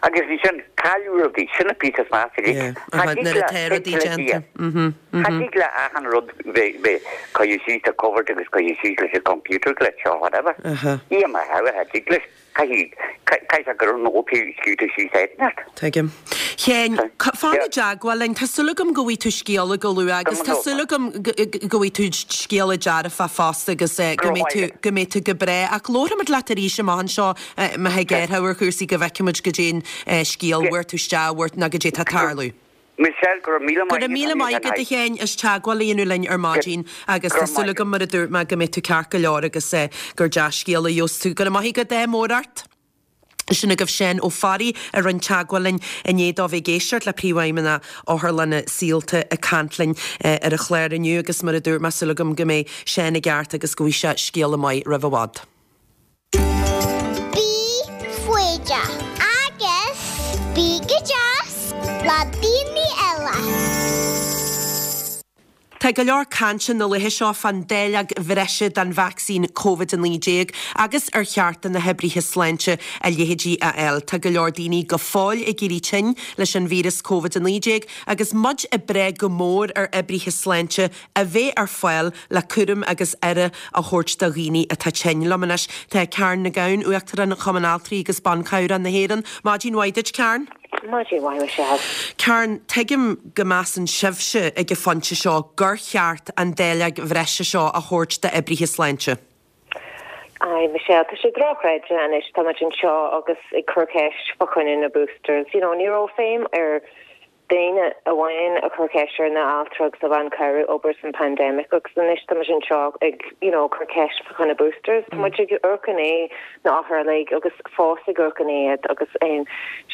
Agus ansin, cailleadh rudaí, sin an píosa is measa uilig. Cha dtig Nuair atá rudaí déanta. Cha dtig le achan rud bheith curtha síos sa cupboard agus curtha síos leis an computer glitch or whatever. Ní mar how a thig leis. Caithfidh caithfidh sé go raibh nótaí scríte síos áit inteacht. Tuigim. Sheáin, fan i dteagmháil linn. Tá súil agam go bhfaighidh tú scéala go luath agus tá súil agam go bhfaighidh tú scéala dearfach fosta agus go mbeidh tú go mbeidh tú go breá. Ach labharfaimid leat arís amach anseo má thig ar ar chúrsaí go bhfeicfimid goidé an scéal, bhfuair tú isteach, bhfuair, nó goidé atá ag tarlú. Michelle, go raibh míle maith agat. Go raibh míle maith agat a Sheáin as teagmháil a dhéanamh linn ar maidin agus tá súil agam mar a dúirt mé go mbeidh tú ceart go leor agus gur dea-scéala a gheobhas tú. Go raibh maith agat, ádh mór ort. Sin agaibh Seán Ó Fearraigh a rinne teagmháil linn i ndiaidh dó bheith ag éisteacht le Príomhfheidhmeannach Otharlanna Saolta ag caint linn ar an chlár inniu agus mar a dúirt mé, súil agam go mbeidh Seán i gceart agus go bhfaighidh sé scéala maith roimh i bhfad. Bí foighdeach agus bí go deas le daoine eile. Tá go leor cainte na laetha seo fán dáileog bhreise den vacsaín Covid-19 agus ar cheart do na hoibrithe sláinte a leithéidí a fháil. Tá go leor daoine go fóill ag éirí tinn leis an víreas Covid-19 agus muid ag brath go mór ar oibrithe sláinte a bheith ar fáil le cúram agus aire a thabhairt do dhaoine atá tinn. Liom anois tá Karen Nic Gabhann, Uachtarán Chumann Altraí agus Ban Cabhrach na hÉireann. Maidin mhaith duit, Karen. Maidin mhaith, Michelle. Karen, tuigim go measann sibhse ag an phointe seo gur cheart an dáileog bhreise seo a thabhairt d'oibrithe sláinte. Aye, Michelle, tá sé dochreidte anois, tá muid anseo agus ag cur ceist fá choinne na boosters. You know, ní raibh feidhm ar daoine amháin a chur ceist ar na altra agus na ban cabhrach obair san pandemic agus anois tá muid anseo ag, you know, cur ceist fá choinne boosters. Tá muid ag amharc i ndiaidh na othair uilig agus fós ag amharc i ndiaidh agus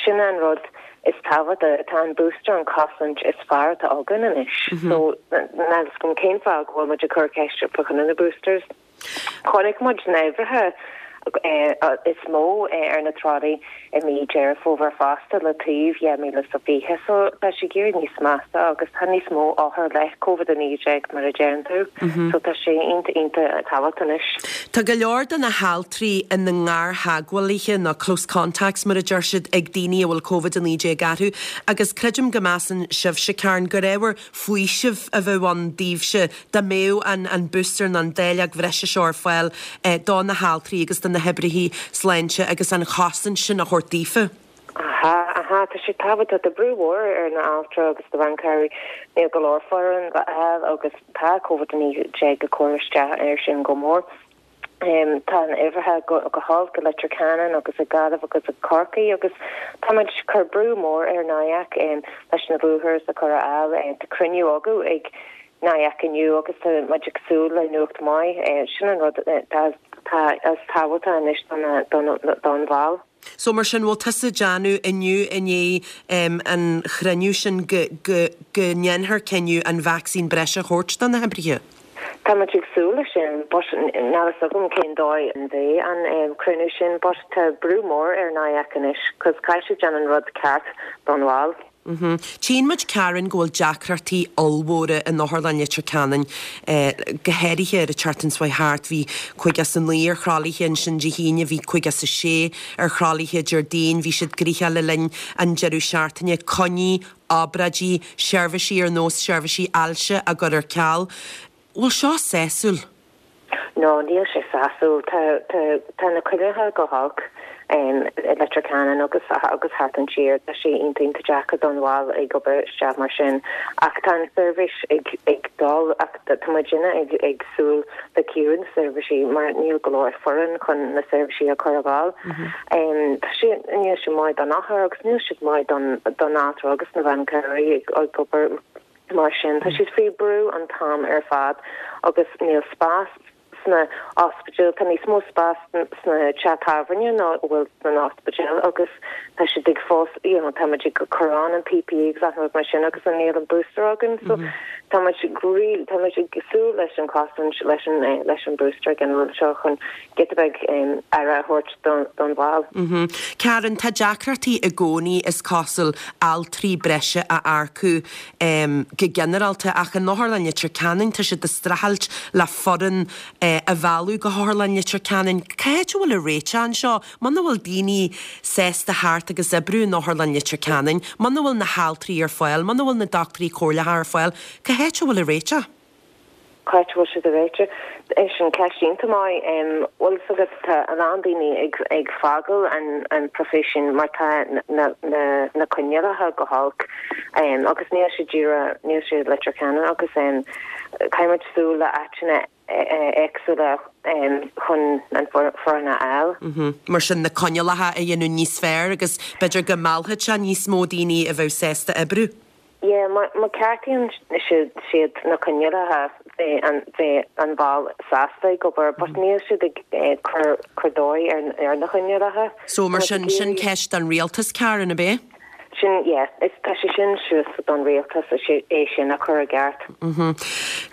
sin an rud is tábhachtaí, tá an booster an cosaint is fearr atá againn anois. So níl a fhios agam cén fáth go bhfuil muid ag cur ceist fá choinne na boosters. Chonaic muid na huimhreacha is mó ar na tralaí i mí Deireadh Fómhair fosta le taobh 2020 so tá sé ag éirí níos measa agus tá níos mó othar le Covid-19 mar a deireann tú so tá sé iontach iontach tábhachtach anois. Tá go leor de na haltraí ina ngartheagmhálaithe nó close contacts mar a deir siad ag daoine a bhfuil Covid-19 orthu agus creidim go measann sibhse, Karen, gur ábhar faoisimh a bheadh ann daoibhse dá mbeadh an an booster nó an dáileog bhreise seo ar fáil do na haltraí agus do na hoibrithe sláinte agus an chosaint sin a thabhairt daofa. Aha, aha, tá sé tábhachtach. Tá brú mhór ar na altra agus na ban cabhrach. Níl go leor foireann le fháil agus tá Covid-19 ag cur isteach air sin go mór. Tá an uimhreacha go holc i Leitir Ceanainn agus i Gaillimh agus i Corcaigh agus tá muid ag cur brú mór ar NIAC leis na boosters a chur ar fáil. Tá cruinniú againn ag NIAC inniu agus tá muid ag súil le nuacht maith. Sin an rud atá is tábhachtaí anois don bhall. So mar sin, bhfuil tusa ag déanamh inniu i ndiaidh an chruinniú sin go go go ndéanfar cinneadh an vacsaín breise a thabhairt do na hoibrithe? Tá muid ag súil leis sin but níl a fhios agam cén dóigh a mbeidh an cruinniú sin but tá brú mór ar NIAC anois cos caithfidh siad déanamh an rud ceart don bhall. Tchíonn muid, Karen, go bhfuil deacrachtaí ollmhóra in Otharlann Leitir Ceanainn, go háirithe ar an tseachtain seo chuaigh thart. Bhí 59 ar thralaithe ansin Dé hAoine, bhí 56 ar thralaithe Déardaoin, bhí siad gnoitheach le linn an deireadh seachtaine. Coinní, obráidí, seirbhísí ar nós seirbhísí ailse á gcur ar ceal. Bhfuil seo sásúil? No, níl sé sásúil. Tá, tá, tá na coinníollacha go holc i Leitir Ceanainn agus, agus thart an tír. Tá sé iontach, iontach deacair don bhall ag obair isteach mar sin. Ach tá an seirbhís ag, ag dul ach tá muidinne ag, ag súil le ciorrú na seirbhísí mar níl go leor foireann chun na seirbhísí a chur ar fáil. Tá sé, níl sé maith don othar agus níl sé maith don, don altra agus na bhean cabhrach ag, ag obair. Mar sin, tá siad faoi brú an t-am ar fad agus níl spás sna ospidéil, tá níos mó spás sna teach tábhairne ná a bhfuil sna ospidéil agus tá siad ag fós, you know, tá muid ag cur on an PPE agus achan rud mar sin agus níl an booster againn so tá muid really, tá muid ag súil leis an cosaint leis an, leis an booster ag an rud seo chun giota beag aire a thabhairt don bhall. Karen, tá deacrachtaí i gcónaí, is cosúil, altraí breise a earcú go ginearálta, ach in Otharlann Leitir Ceanainn tá siad ag streachailt le foireann a mhealladh go hOtharlann Leitir Ceanainn. Cá háit a bhfuil an réiteach anseo? Muna bhfuil daoine sásta theacht agus oibriú in Otharlann Leitir Ceanainn, muna bhfuil na haltraí ar fáil, muna bhfuil na dochtúirí comhairleacha ar fáil, cá háit a bhfuil an réiteach? Cá háit a bhfuil siad ag réiteach? Sin ceist iontach maith. Bhfuil fhios agat, tá a lán daoine ag ag fágáil an an profession mar tá na na na coinníollacha go holc agus níl sé díreach, níl sé Leitir Ceanainn agus caithfidh muid súil le áiteanna éagsúla chun an foireann a fháil. Mar sin na coinníollacha a dhéanamh níos fearr agus b'fhéidir go meallfadh sé níos mó daoine a bheadh sásta oibriú. Yeah, má ceartaíonn siad na coinníollacha bheadh an ball sásta ag obair but níl siad ag cur cur dóigh ar na coinníollacha. So mar sin, sin ceist don rialtas, Karen, ab é? Sin, yeah, is tá sé sin suas don rialtas é sin a chur i gceart.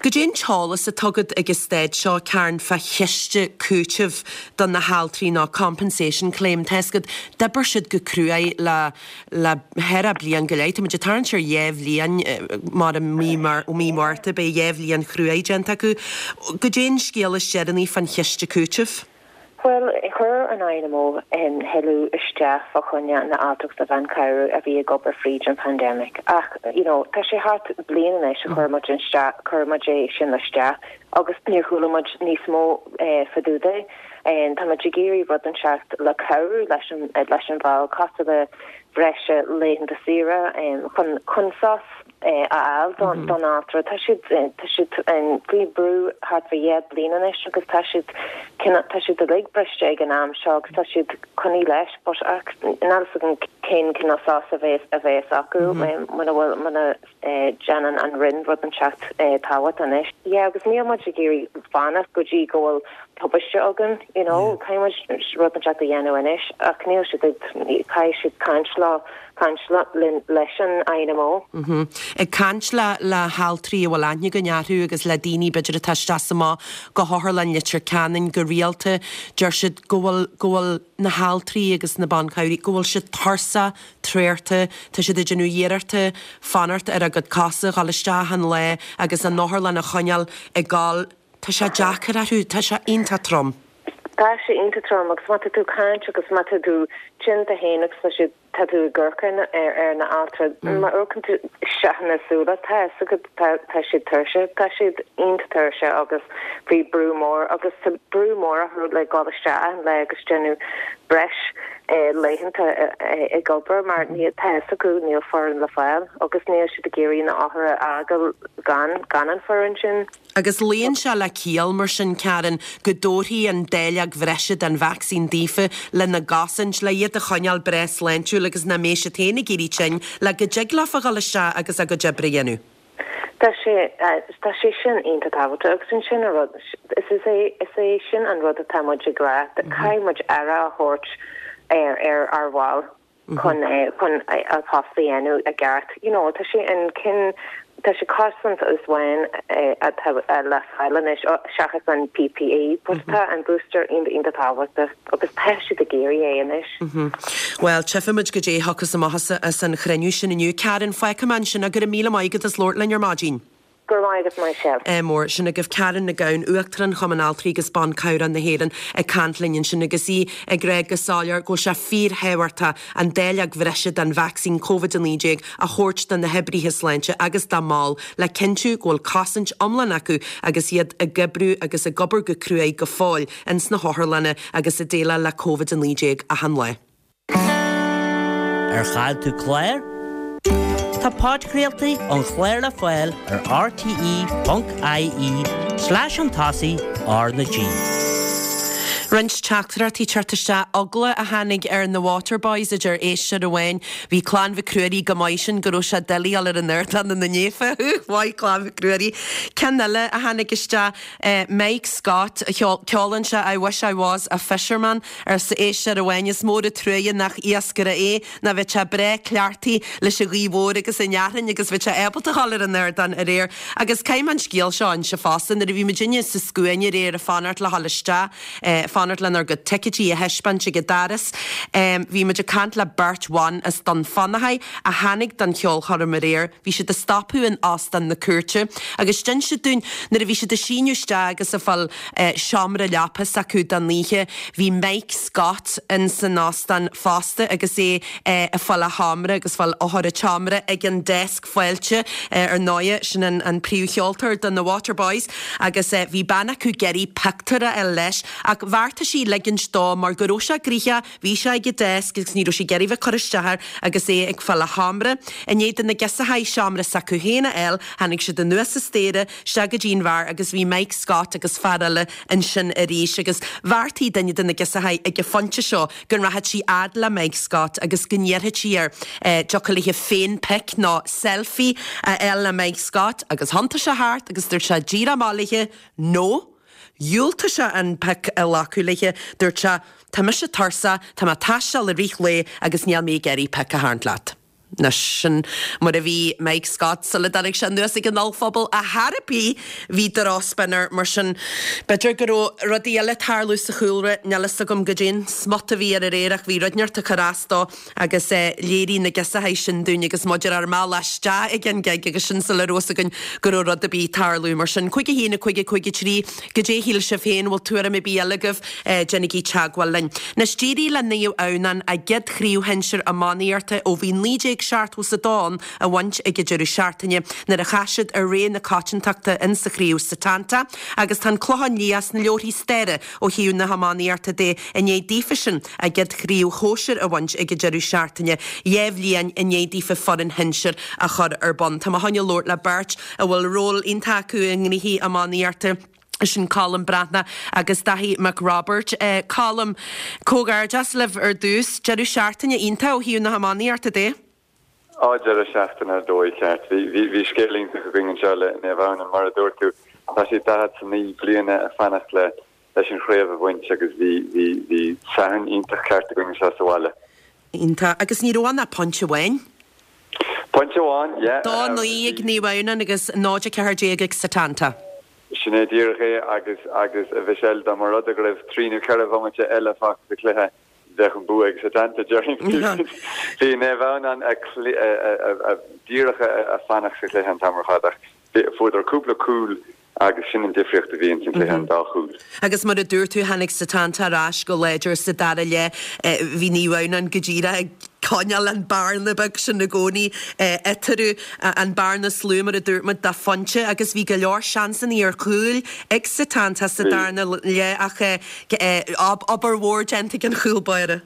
Goidé an t-eolas atá agat ag an staid seo, Karen, fá chiste cúitimh do na haltraí nó compensation claim? Tá 'fhios agat, d'oibir siad go cruaidh le le cheithre bliain go leith. Tá muid ag tarraingt ar dheich bhliain mar i mí mí Márta beidh dheich bhliain chruaidh déanta acu. Goidé an scéal is deireanaí fán chiste cúitimh? Bhuel, chuir an INMO éileamh isteach fá choinne na altraí agus na ban cabhrach a bhí ag obair fríd an pandemic ach you know tá sé thart bliain anois a chuir muid isteach, chuir muid é sin isteach agus níor chuala muid níos mó fá dtaobh de. Tá muid ag iarraidh rud inteacht le cabhrú leis an leis an bhall cosúil le breise laethanta saoire chun chun sos a fháil don altra. Tá siad tá siad faoi brú thart fá dheich bliain anois agus tá siad tá siad uilig briste ag an am seo agus tá siad coinnithe leis but ach níl fhios agam cén cineál sos a bheas a bheas acu muna bhfuil muna déanann an Roinn rud inteacht tábhachtach anois. Yeah agus níl muid ag iarraidh fanacht go dtí go bhfuil tubaiste againn you know caithfidh muid rud inteacht a dhéanamh anois ach níl siad ag caithfidh siad caint leo caint linn leis an INMO. Ag caint le le haltraí a bhfuil aithne againn orthu agus le daoine b'fhéidir atá isteach is amach go hOtharlann Leitir Ceanainn go rialta, deir siad go bhfuil go bhfuil na haltraí agus na ban cabhraí, go bhfuil siad tuirseach, traochta, tá siad ag déanamh iarrachta fanacht ar a gcuid cosa, dhul isteach achan lá agus an otharlann a choinneáil ag gabháil. Tá sé deacair orthu, tá sé iontach trom. Tá sé iontach trom agus má tá tú ag caint agus má tá tú tinn tú féin agus tá siad, tá tú ag amharc ar na altraí, má amharcann tú isteach ina súile, tá fhios agat, tá, tá siad tuirseach, tá siad iontach tuirseach agus faoi brú mór agus tá brú mór orthu le dhul isteach achan lá agus déanamh breis laethanta ag obair mar níl, tá fhios acu níl foireann le fáil agus níl siad ag iarraidh na othair a fhágáil gan, gan an foireann sin. Agus luíonn sé le ciall, mar sin, Karen, go dtabharfaí an dáileog bhreise den vacsaín daofa lena gcosaint, le iad a choinneáil breá sláintiúil agus nach mbeidh siad féin ag éirí tinn, le go dtig leofa dhul isteach agus a gcuid oibre a dhéanamh. Tá sé, tá sé sin iontach tábhachtach agus ansin an rud, is is é, is é sin an rud atá muid ag rá, caithfidh muid aire a thabhairt ar, ar ár bhaill. chun chun a post a dhéanamh i gceart. You know, tá sé an cinn tá sé cosaint amháin atá le fáil anois seachas an PPE, but tá an booster iontach iontach tábhachtach agus tá siad ag iarraidh é anois. Bhuel, tchífimid goidé a thiocfas amach as an chruinniú sin inniu. Karen, fágfaidh mé ansin go raibh míle maith agat as labhairt linn ar maidin. Go raibh maith agat Michelle. Ádh mór. Sin agaibh Karen Nic Gabhann, Uachtarán Chumann Altraí agus Ban Cabhrach na hÉireann ag caint linn ansin agus í ag rá go soiléir go bhfuil sé fíorthábhachtach an dáileog bhreise den vacsaín Covid-19 a thabhairt do na hoibrithe sláinte agus dá mbaill le cinntiú go bhfuil cosaint iomlán acu agus iad ag oibriú agus ag obair go cruaidh go fóill ins na hotharlanna agus ag déileáil le Covid-19 achan lá. Ar chaill tú clár? Tá podchraoltaí an chláir le fáil ar rte.ie slash chun tosaigh R na G. Roinnt teachtaireachtaí ag teacht isteach. Eagla a tháinig ar na Waterboys, a deir éisteoir amháin. Bhí Clann Mhic Ruairí go maith sin go raibh sé doiligh a dhul ar an ardán ina ndiaidh. Mhaith Clann Mhic Ruairí. Ceann eile a tháinig isteach, Mike Scott, ceolann sé I wish I was a fisherman. Arsa éisteoir amháin, Is mór an truaighe nach iascaire é, nó bheadh sé breá cleachtaithe leis an ghaoth mhór agus an fhearthainn agus bheadh sé ábalta a dhul ar an ardán aréir. Agus caithfidh mé an scéal seo a inse fosta, nuair a bhí muidinne sa scuaine aréir ag fanacht le dhul isteach, fanacht lenár gcuid ticéidí a thaispeáint ag an doras, bhí muid ag caint le beirt bhan as Dún Fionnachaidh a tháinig don cheolchoirm aréir. Bhí siad ag stopadh in Óstán na Cúirte agus d'inis siad dúinn nuair a bhí siad ag síneadh isteach agus ag fáil seomra leapa s'acu don oíche, bhí Mike Scott in san óstán fosta agus é ag fáil a sheomra agus fáil eochair an tseomra ag an deasc fáilte ar ndóighe, sin an príomhcheoltóir do na Waterboys agus bhí bean acu ag iarraidh pictiúr a fháil leis ach bheartaigh. Bheartaigh sí ligint dó mar go raibh sé gnoitheach, bhí sé ag an desk agus ní raibh sí ag iarraidh bheith ag cur isteach air agus é ag fáil a sheomra. I ndiaidh do na girseachaí seomra s'acu féin a fháil, tháinig siad anuas an staighre, isteach go dtí an bheár agus bhí Mike Scott agus fear eile ansin arís agus bheartaigh duine de na girseachaí ag an phointe seo go rachadh sí fhad le Mike Scott agus go n-iarrfadh sí air dtiocfadh léi féin pic nó selfie a fháil le Mike Scott agus thiontaigh sé thart agus dúirt sé díreach amach léi No. Dhiúltaigh sé an pic a ghlacadh léi. Dúirt sé Tá mise tuirseach, tá mé ag taisteal i rith lae agus níl mé ag iarraidh pic a tharraingt leat. Anois, sin mar a bhí Mike Scott sula dtáinig sé anuas ag an ollphuball ar chor ar bith, bhí drochspin air, mar sin b'fhéidir go raibh rudaí eile ag tarlú sa chúlra, níl fhios agam goidé an smut a bhí air aréir ach bhí rud inteacht ag cur as dó agus léirigh na girseachaí sin dúinn agus muid ar ár mbealach isteach ag an gig agus sin sula raibh fhios againn go raibh rud ar bith ag tarlú, mar sin 5 1 5 5 3, goidé a shíl sibh féin, bhfuil tuairim ar bith eile agaibh? Déanaigí teagmháil linn. Anois, d'éirigh le Naomh Adhamhnáin a gcéad chraobh shinsir iománaíochta ó bhí 1972 ann a bhaint ag an deireadh seachtaine nuair a chas siad ar rogha na coitiantachta in sa chraobh Setanta agus tá an Clochán Liath sna leabharthaí staire ó thaobh na hiománaíochta de i ndiaidh daofasan a gcéad chraobh shóisir a bhaint ag an deireadh seachtaine, 2 bhliain i ndiaidh daofa foireann shinsir a chur ar bun. Tá mé chun labhairt le beirt a bhfuil ról iontach acu i ngnoithí iománaíochta. Sin Colm Breathnach agus Daithí Mac Roibeaird. Colm, comhghairdeas libh ar dtús. Deireadh seachtaine iontach ó thaobh na hiománaíochta de. Á, deireadh seachtaine ar dóigh, ceart. Bhí, bhí scéal iontach againn anseo le Naomh Adhamhnáin, mar a dúirt tú. Tá siad 49 bliana ag fanacht le, leis an chraobh a bhaint agus bhí, bhí, bhí Satharn iontach ceart againn anseo sa bhaile. Iontach. Agus ní raibh ann ach pointe amháin. Pointe amháin, yeah. 2, 9 ag Naomh Adhamhnáin agus 0, 14 ag Setanta. Sin é díreach é agus, agus a Mhichelle, dá mba rud é go raibh trí nó ceithre bhomaite eile fágtha sa chluiche, bheadh an bua ag Setanta, déarfainn. Bhí Naomh Adhamhnáin díreach ag fanacht sa chluiche an t-am ar fad ach fuaireadar cúpla cúl agus sin an difríocht a bhí ins an chluiche, an dá chúl. Agus mar a dúirt tú, tháinig Setanta ar ais go láidir sa dara leath. Bhí Naomh Adhamhnáin go díreach ag coinneáil an bearna beag sin i gcónaí eatarthu, an bearna is lú, mar a dúirt muid, de phointe agus bhí go leor seansanna ar chúil ag Setanta sa darna leath ach obair mhór déanta ag an chúl báire.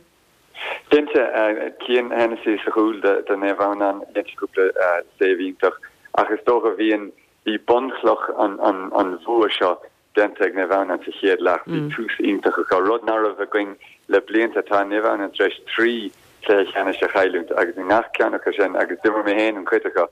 Cinnte, Cian Hennessy sa chúl do Naomh Adhamhnáin, dhein sé cúpla save iontach ach is dócha bhí an Bhí bunchloch an bhua seo déanta ag Naomh Adhamhnáin sa chéad leath. Bhí tús iontach acu, rud nach raibh againn le blianta. Tá Naomh Adhamhnáin tar éis 3 chluiche ceannais a chailliúint agus i ngach ceann acu sin, agus d'imir mé féin an chuid acu,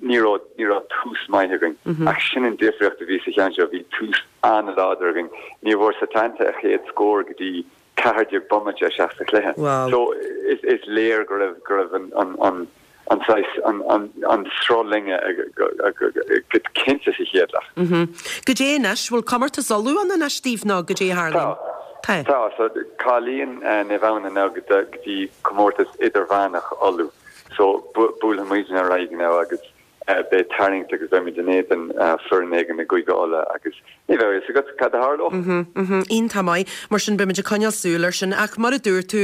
ní raibh ní raibh tús maith againn. Ach sin an difríocht a bhí sa cheann seo, bhí tús an-láidir againn. Ní bhfuair Setanta a chéad scór go dtí 14 bomaite isteach sa chluiche. So is léir go raibh go raibh an an an saghas an an an sruth linne go cinnte sa chéad leath. Goidé anois, bhfuil comórtas Uladh ann anois daoibh nó goidé a tharlaíonn? Tá. Tá. So cáilíonn Naomh Adhamhnáin now go dtí comórtas idirmheánach Uladh. So buailfidh muidne ar aghaidh now agus Beidh tarraingt agus beimid in éadan foireann éigin i gCúige Uladh agus ní bheidh a fhios agat cad a tharlódh. Iontach maith. Mar sin beimid ag coinneáil súil air sin. Ach mar a dúirt tú,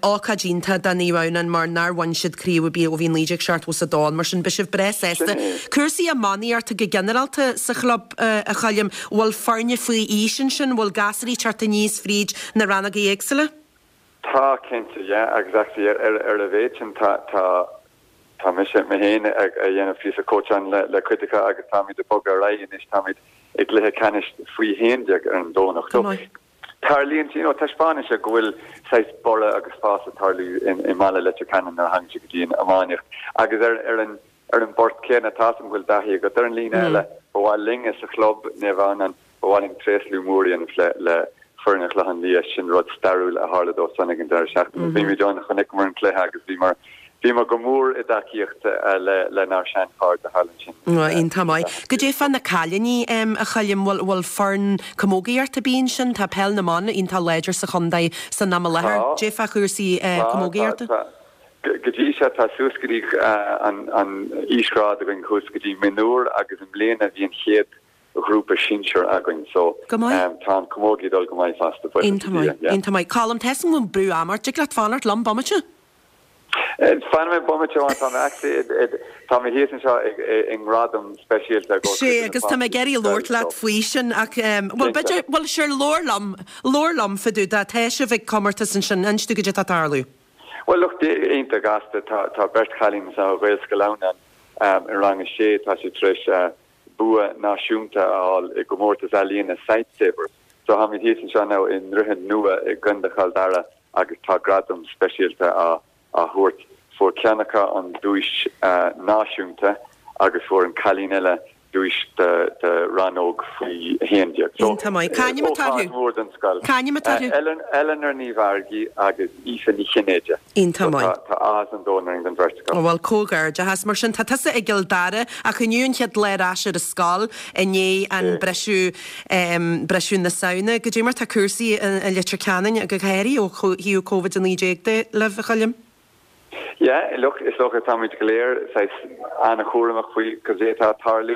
ócáid iontach do Naomh Adhamhnáin mar nár bhain siad craobh ar bith ó bhí 1972 ann. Mar sin beidh sibh breá sásta. Cúrsaí iománaíochta go ginearálta sa chlub, a Choilm, bhfuil foirne faoi aois ansin? Bhfuil gasúraí ag teacht aníos fríd na rannógaí éagsúla? Tá, cinnte, yeah. Agus actually ar a mhéad sin tá, tá, Tá mise, mé féin, ag déanamh píosa cóitseáin le cuid acu agus táimid ag bogadh ar aghaidh anois, táimid i gcluiche ceannais faoi 11 ar an Domhnach. So, tarlaíonn, you know, taispeánann sé go bhfuil saghas borradh agus fás ag tarlú i mbaile Leitir Ceanainn nuair a thagann sé go dtí an iománaíocht. Agus ar, ar an, ar an bport céanna, tá a fhios agam go bhfuil Daithí agat ar an líne eile, ba mhaith linne sa chlub, Naomh Adhamhnáin, Ba mhaith linn tréaslú mór a dhéanamh le le foireann an Chlocháin Liath, sin rud stairiúil a tharla dóibh san ag an deireadh seachtaine. Bhí muid ann, chonaiceamar an cluiche agus bhíomar bhíomar go mór i dtacaíocht le lenár sean-chairde thall ansin. Iontach maith. Goidé fá na cailíní, a Choilm, bhfuil bhfuil foireann camógaíochta ar bith ansin? Tá peil na mban iontach láidir sa chontae san am i láthair. Tá. Goidé fá chúrsaí Tá, tá, camógaíochta? tá. Go dtí seo tá suas go dtí an an aoisghrád againn thuas go dtí mionúr agus i mbliana bhí an chéad ghrúpa sinsear againn so Go maith. tá an camógaí ag dul go maith fosta, buíochas Iontach le Dia, maith, yeah. iontach maith. Colm, tá a fhios agam go bhfuil brú ama ort, dtig leat fanacht liom bomaite? Fanfaidh mé bomaite amháin, tá mé actually, tá mé thíos anseo i ngradam speisialta i gcomhair Sé, agus tá mé ag iarraidh labhairt leat faoi sin ach, bhuel, b'fhéidir, bhuel, sure, labhair liom, labhair liom fá dtaobh de, tá sibh ag comórtas ansin, inis domh goidé atá ag tarlú. Bhuel, look, iontach gasta, tá, tá beirt chailín anseo ó Ghaelscoil Adhamhnáin i rang a sé, tá siad tar éis bua náisiúnta a fháil i gcomórtas ealaíne Sightsavers. So táimid thíos anseo now i nDroichead Nua i gContae Chill Dara agus tá gradam speisialta á thabhairt. Fuair ceann acu an duais náisiúnta agus fuair an cailín eile duais do rannóg faoi 11. So, Iontach maith. Cá ainm atá orthu? Ócáid mhór don scoil. Cá ainm atá orthu? Eleanor Ní Mheargaigh agus Aoife Ní Chinnéide. Iontach maith. Tá áthas an domhain orainn don bheirt acu. Bhuel, comhghairdeachas. Mar sin, tá tusa i gCill Dara ach inniu an chéad lá ar ais ar an scoil i ndiaidh an briseadh, briseadh na Samhna. Goidé mar tá cúrsaí i Leitir Ceanainn, go háirithe ó thaobh Covid-19 de, libh, a Choilm? Yeah, look, is dócha táimid go léir saghas an-chúramach faoi cad é atá ag tarlú.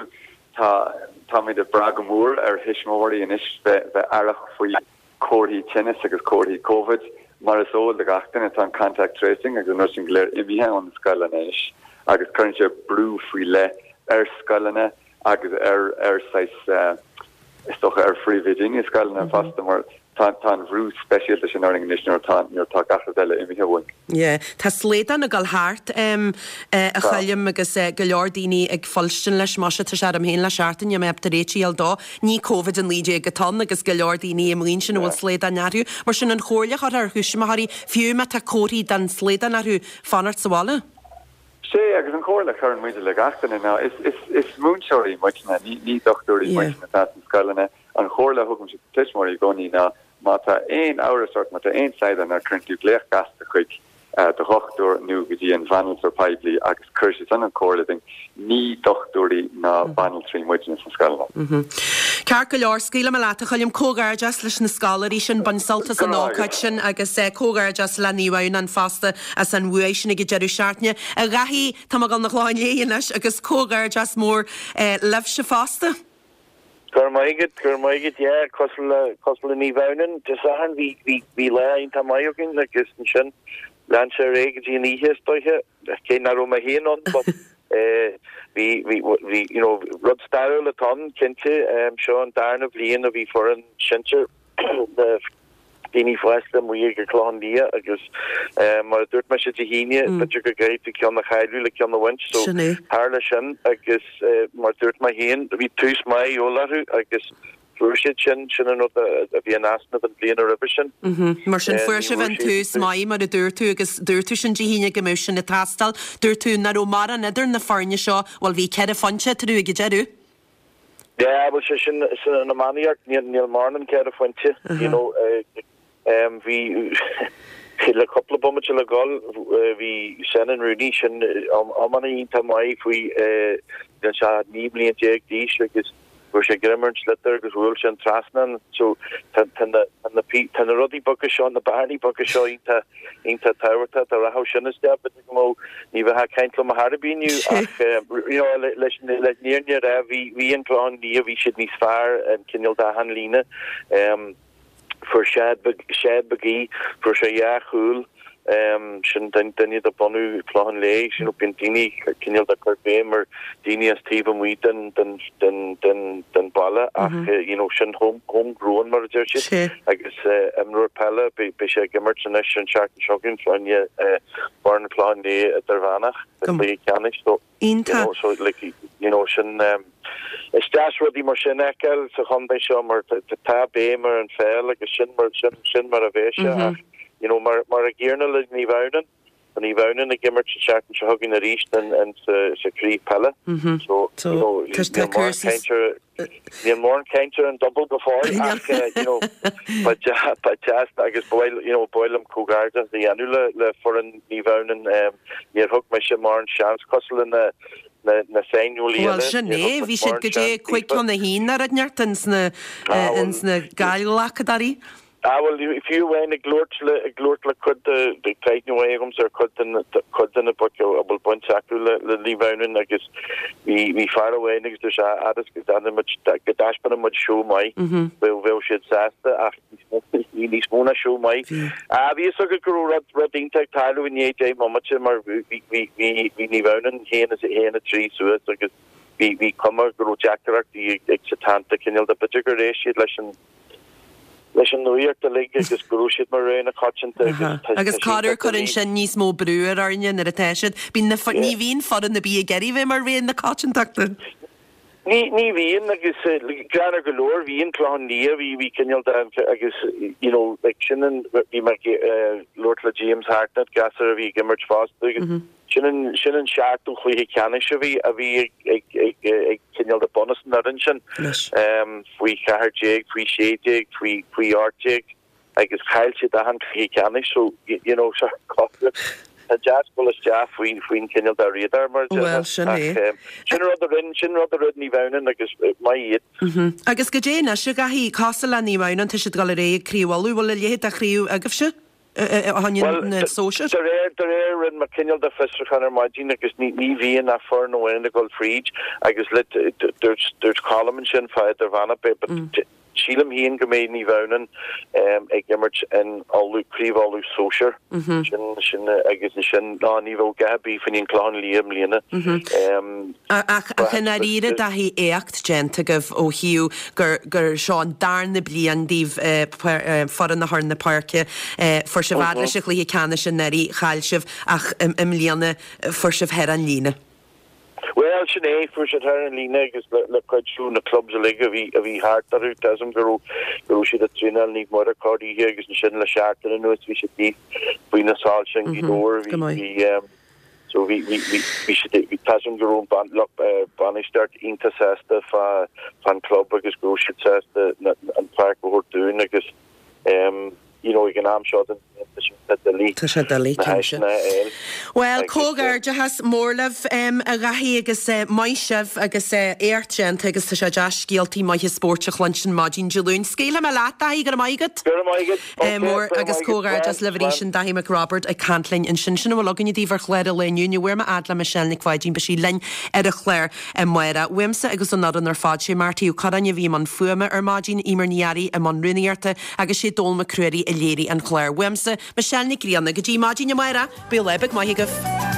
Tá, táimid ag brath go mór ar thuismitheoirí anois bheith, bheith aireach faoi comharthaí tinnis agus comharthaí Covid. Mar is eol do gach duine, tá an contact tracing agus an rud sin go léir imithe ó na scoileanna anois agus cuireann sé brú faoi leith ar scoileanna agus ar, ar saghas, is dócha ar phríomhoidí na scoileanna fosta mar tá, tá an bhrú speisialta sin orainn anois nuair atá, nuair atá gach rud eile imithe uainn. Yeah. Tá slaghdán ag dul thart, em, a Choilm agus go leor daoine ag fuilstin leis, muise tá sé orm féin le seachtain, níl mé ábalta réiteach a fháil dó. Ní Covid-19 atá ann agus go leor daoine amuigh ansin a bhfuil slaghdán orthu. Mar sin an chomhairle a chuirfeá ar thuismitheoirí, fiú má tá comharthaí den slaghdán orthu, fanacht sa bhaile? Sé, agus an chomhairle a chuireann muide le gach duine ná, is, is, is múinteoirí muidne, ní, ní dochtúirí muidne atá sna scoileanna. An chomhairle a thugaimse do tuismitheoirí i gcónaí ná má tá aon amhras ort, má tá aon slaghdán ort, cuireann tú glaoch gasta chuig do dhochtúir nó go dtí an bhanaltra poiblí agus cuirfidh siad san an chomhairle duit. Ní dochtúirí ná banaltraí muidne sna scoileanna. Ceart go leor, scaoilfidh mé leat a Choilm. Comhghairdeas leis na scoláirí sin, bain sult as an ócáid sin agus comhghairdeas le Naomh Adhamhnáin fosta as an bhuaidh sin ag an deireadh seachtaine. A Dhaithí, tá mé ag dul 'na Chlochán Léith anois agus comhghairdeas mór libhse fosta. Go raibh maith agat, go raibh maith agat, yeah, cosúil le, cosúil le Naomh Adhamhnáin, Dé Sathairn, bhí, bhí, bhí lá iontach maith againn agus ansin lean sé ar aghaidh go dtí an oíche is dóiche, cé nach raibh mé féin ann but eh bhí, bhí, bhí, you know, rud stairiúil atá ann, cinnte, seo an darna bhliain a bhí foireann sinsir na daoine fásta amuigh ag an Clochán Liath agus mar a dúirt mise Dé hAoine, b'fhéidir go gcaithfidh tú ceann a chailleadh le ceann a bhaint so tharla sin agus mar a dúirt mé féin, bhí tús maith a dhíobháil orthu agus fuair siad sin, sin an rud a bhí in easnamh an bhliain roimhe sin. Mar sin fuair sibh an tús maith mar a dúirt tú agus dúirt tú sin Dé hAoine go mbeadh sin ag teastáil. Dúirt tú nach raibh mórán idir na foirne seo, bhuel bhí ceithre phointe eatarthu ag an deireadh. Yeah, bhuel sé sin san iománaíocht, níl níl mórán an ceithre phointe, you know, bhí le cúpla bomaite le dhul, bhí Senan Rooney, sin iománaí iontach maith faoi bhí sé 19 mbliain d'aois agus fuair sé greim ar an sliotar agus bhuail sé an trasnán, so tá tá na tá na tá na rudaí beaga seo, na bearnaí beaga seo iontach iontach tábhachtach, dá rachadh sin isteach b'fhéidir go mbeadh, ní bheifeá ag caint liom ar chor ar bith inniu ach you know leis an fhírinne a rá bhí bhí an Clochán Liath bhí siad níos fearr an cineál d'achan líne. Fuair Sead Sead Magee fuair sé dhá chúl sin duine de bunadh Chlochán Léith you know bíonn daoine cineál de cur béim ar daoine as taobh amuigh den den den den den baile ach you know sin home home grown mar a deir siad agus imreoir peile beidh sé ag imirt anois an seachtain seo chugainn fá choinne foireann Chlochán Léith idirmheánach sa chluiche ceannais so you know so like you know sin is deas rudaí mar sin a fheiceáil sa chontae seo mar tá béim ar an pheil agus sin mar sin sin mar a bheidh sé ach you know mar mar an gcéanna le Naomh Adhamhnáin Tá Naomh Adhamhnáin ag imirt an seachtain seo chugainn arís sa chraobh peile. So, you know, níl mórán caint ar níl mórán caint ar an double go fóill ach you know, ba ba deas agus ba mhaith you know, ba mhaith liom comhghairdeas a dhéanamh le le foireann Naomh Adhamhnáin. Níor thug mise mórán seans cosúil le na na na saineolaí eile. Bhuel sin é, bhí siad go dtí 5-1 ar an neart ins na ins na Gaillghlacadóirí. Ah bhuel, fiú amháin ag labhairt le, ag labhairt le cuid de, tá aithne mhaith agamsa ar chuid de na, cuid de na boic a bhfuil baint acu le, le Naomh Adhamhnáin agus bhí, bhí fear amháin agus dúirt sé, fhad is go ndéanann muid, go dtaispeánann muid seó maith, bheadh, bheadh siad sásta ach bhí níos mó ná seó maith. Ah bhí fhios agat go raibh rud, rud iontach ag tarlú i ndiaidh 10 mbomaite mar bhí, bhí, bhí, bhí Naomh Adhamhnáin 1 is 1 3 suas agus bhí, bhí cuma go raibh deacaireachtaí ag, ag Setanta cineál de, b'fhéidir gur éist siad leis an, leis an nuaíocht uilig agus go raibh siad mar rogha na coitianta agus tá Agus sé corruair iontach cuireann doiligh. sin níos mó brú ar fhoirne nuair atá siad. Bíonn na fo- ní bhíonn foireann ar bith ag iarraidh bheith mar rogha na coitiantachta. Ní ní bhíonn agus greannmhar go leor bhí an Clochán Liath bhí bhí cineál de agus you know like sin an bhí mé ag labhairt le James Hartnett gasúr a bhí ag imirt fosta agus Sin an, sin an seachtú chluiche ceannais a bhí, a bhí ag, ag, ag, ag cineál de bunús an fhoireann sin, faoi 14, faoi 16, faoi, faoi 18 agus chaill siad achan cluiche ceannais so, you know, so tá deas dul isteach faoi, faoin cineál de radar mar a Bhuel, déarfá. sin Ach é. sin rud a rinne, sin rud a rinne Naomh Adhamhnáin agus maith iad. Agus goidé anois, a Dhaithí, cosúil le Naomh Adhamhnáin, tá siad ag dul ar aghaidh ag Craobh Uladh, bhfuil a leithéid de chraobh agaibhse? Bhuel, na sóisir. de réir, de réir, rinne mé cineál de fiosrúchán ar maidin agus ní, ní bhíonn ach foireann amháin ag dul fríd agus le, dúirt, dúirt Colm ansin fá Idirmheánach, but sílim féin go mbeidh Naomh Adhamhnáin ag imirt in Uladh, Craobh Uladh Sóisir. Sin, sin, agus ansin, ná ní bheadh a dhath ar bith fá choinne an Clochán Liath i mbliana. Ach, ach i ndáiríre, Daithí, éacht déanta agaibh ó thaobh gur, gur seo an darna bliain daoibh foireann a chur na páirce. Fuair sibh fhad leis an chluiche ceannais anuraidh, chaill sibh, ach i mbliana fuair sibh thar an líne. Bhuel, sin é, fuair siad thar an líne agus le, le cuidiú na clubs uilig a bhí, a bhí thart orthu, tá 'fhios a'm go raibh, go raibh siad ag traenáil Naomh Muire corr-oíche agus ansin le seachtain anuas bhí siad thíos faoi na soilse i nGaoth Dobhair, Go bhí, maith. bhí, So bhí, bhí, bhí, bhí siad, bhí, tá 'fhios a'm go raibh an lucht bainistíocht iontach sásta fá, fán club agus go raibh siad sásta na, an pháirc a thabhairt dúinn agus em, you know, ag an am seo den bhliain tá sé iontach doiligh Tá sé doiligh, na cinnte. háiseanna a fháil Bhuel, agus eh. comhghairdeachas mór libh, em, a Dhaithí agus eh, maith sibh agus eh, éacht déanta agus tá sé deas scéaltaí maithe spóirt a chluinstin maidin Dé Luain. Scaoilfidh mé leat, Daithí, go raibh maith agat. Go raibh maith agat. Mór agus comhghairdeas libh arís sin Daithí Mac Roibeaird ag caint linn ansin. Sin a bhfuil againne daoibh ar chlár an lae inniu. Ní bhfuair mé fhad le Michelle Nic Pháidín, beidh sí linn ar an chlár amárach. Uaimse agus ón fhoireann ar fad, sé Marty Ó Curráin a bhí i mbun fuaime ar maidin, Emer Ní Fhearraigh i mbun rúnaíochta agus sé Dónal Mac Ruairí a léirigh an clár. Uaimse, Michelle Nic Grianna, go dtí maidin amárach, bíodh lá beag maith agaibh.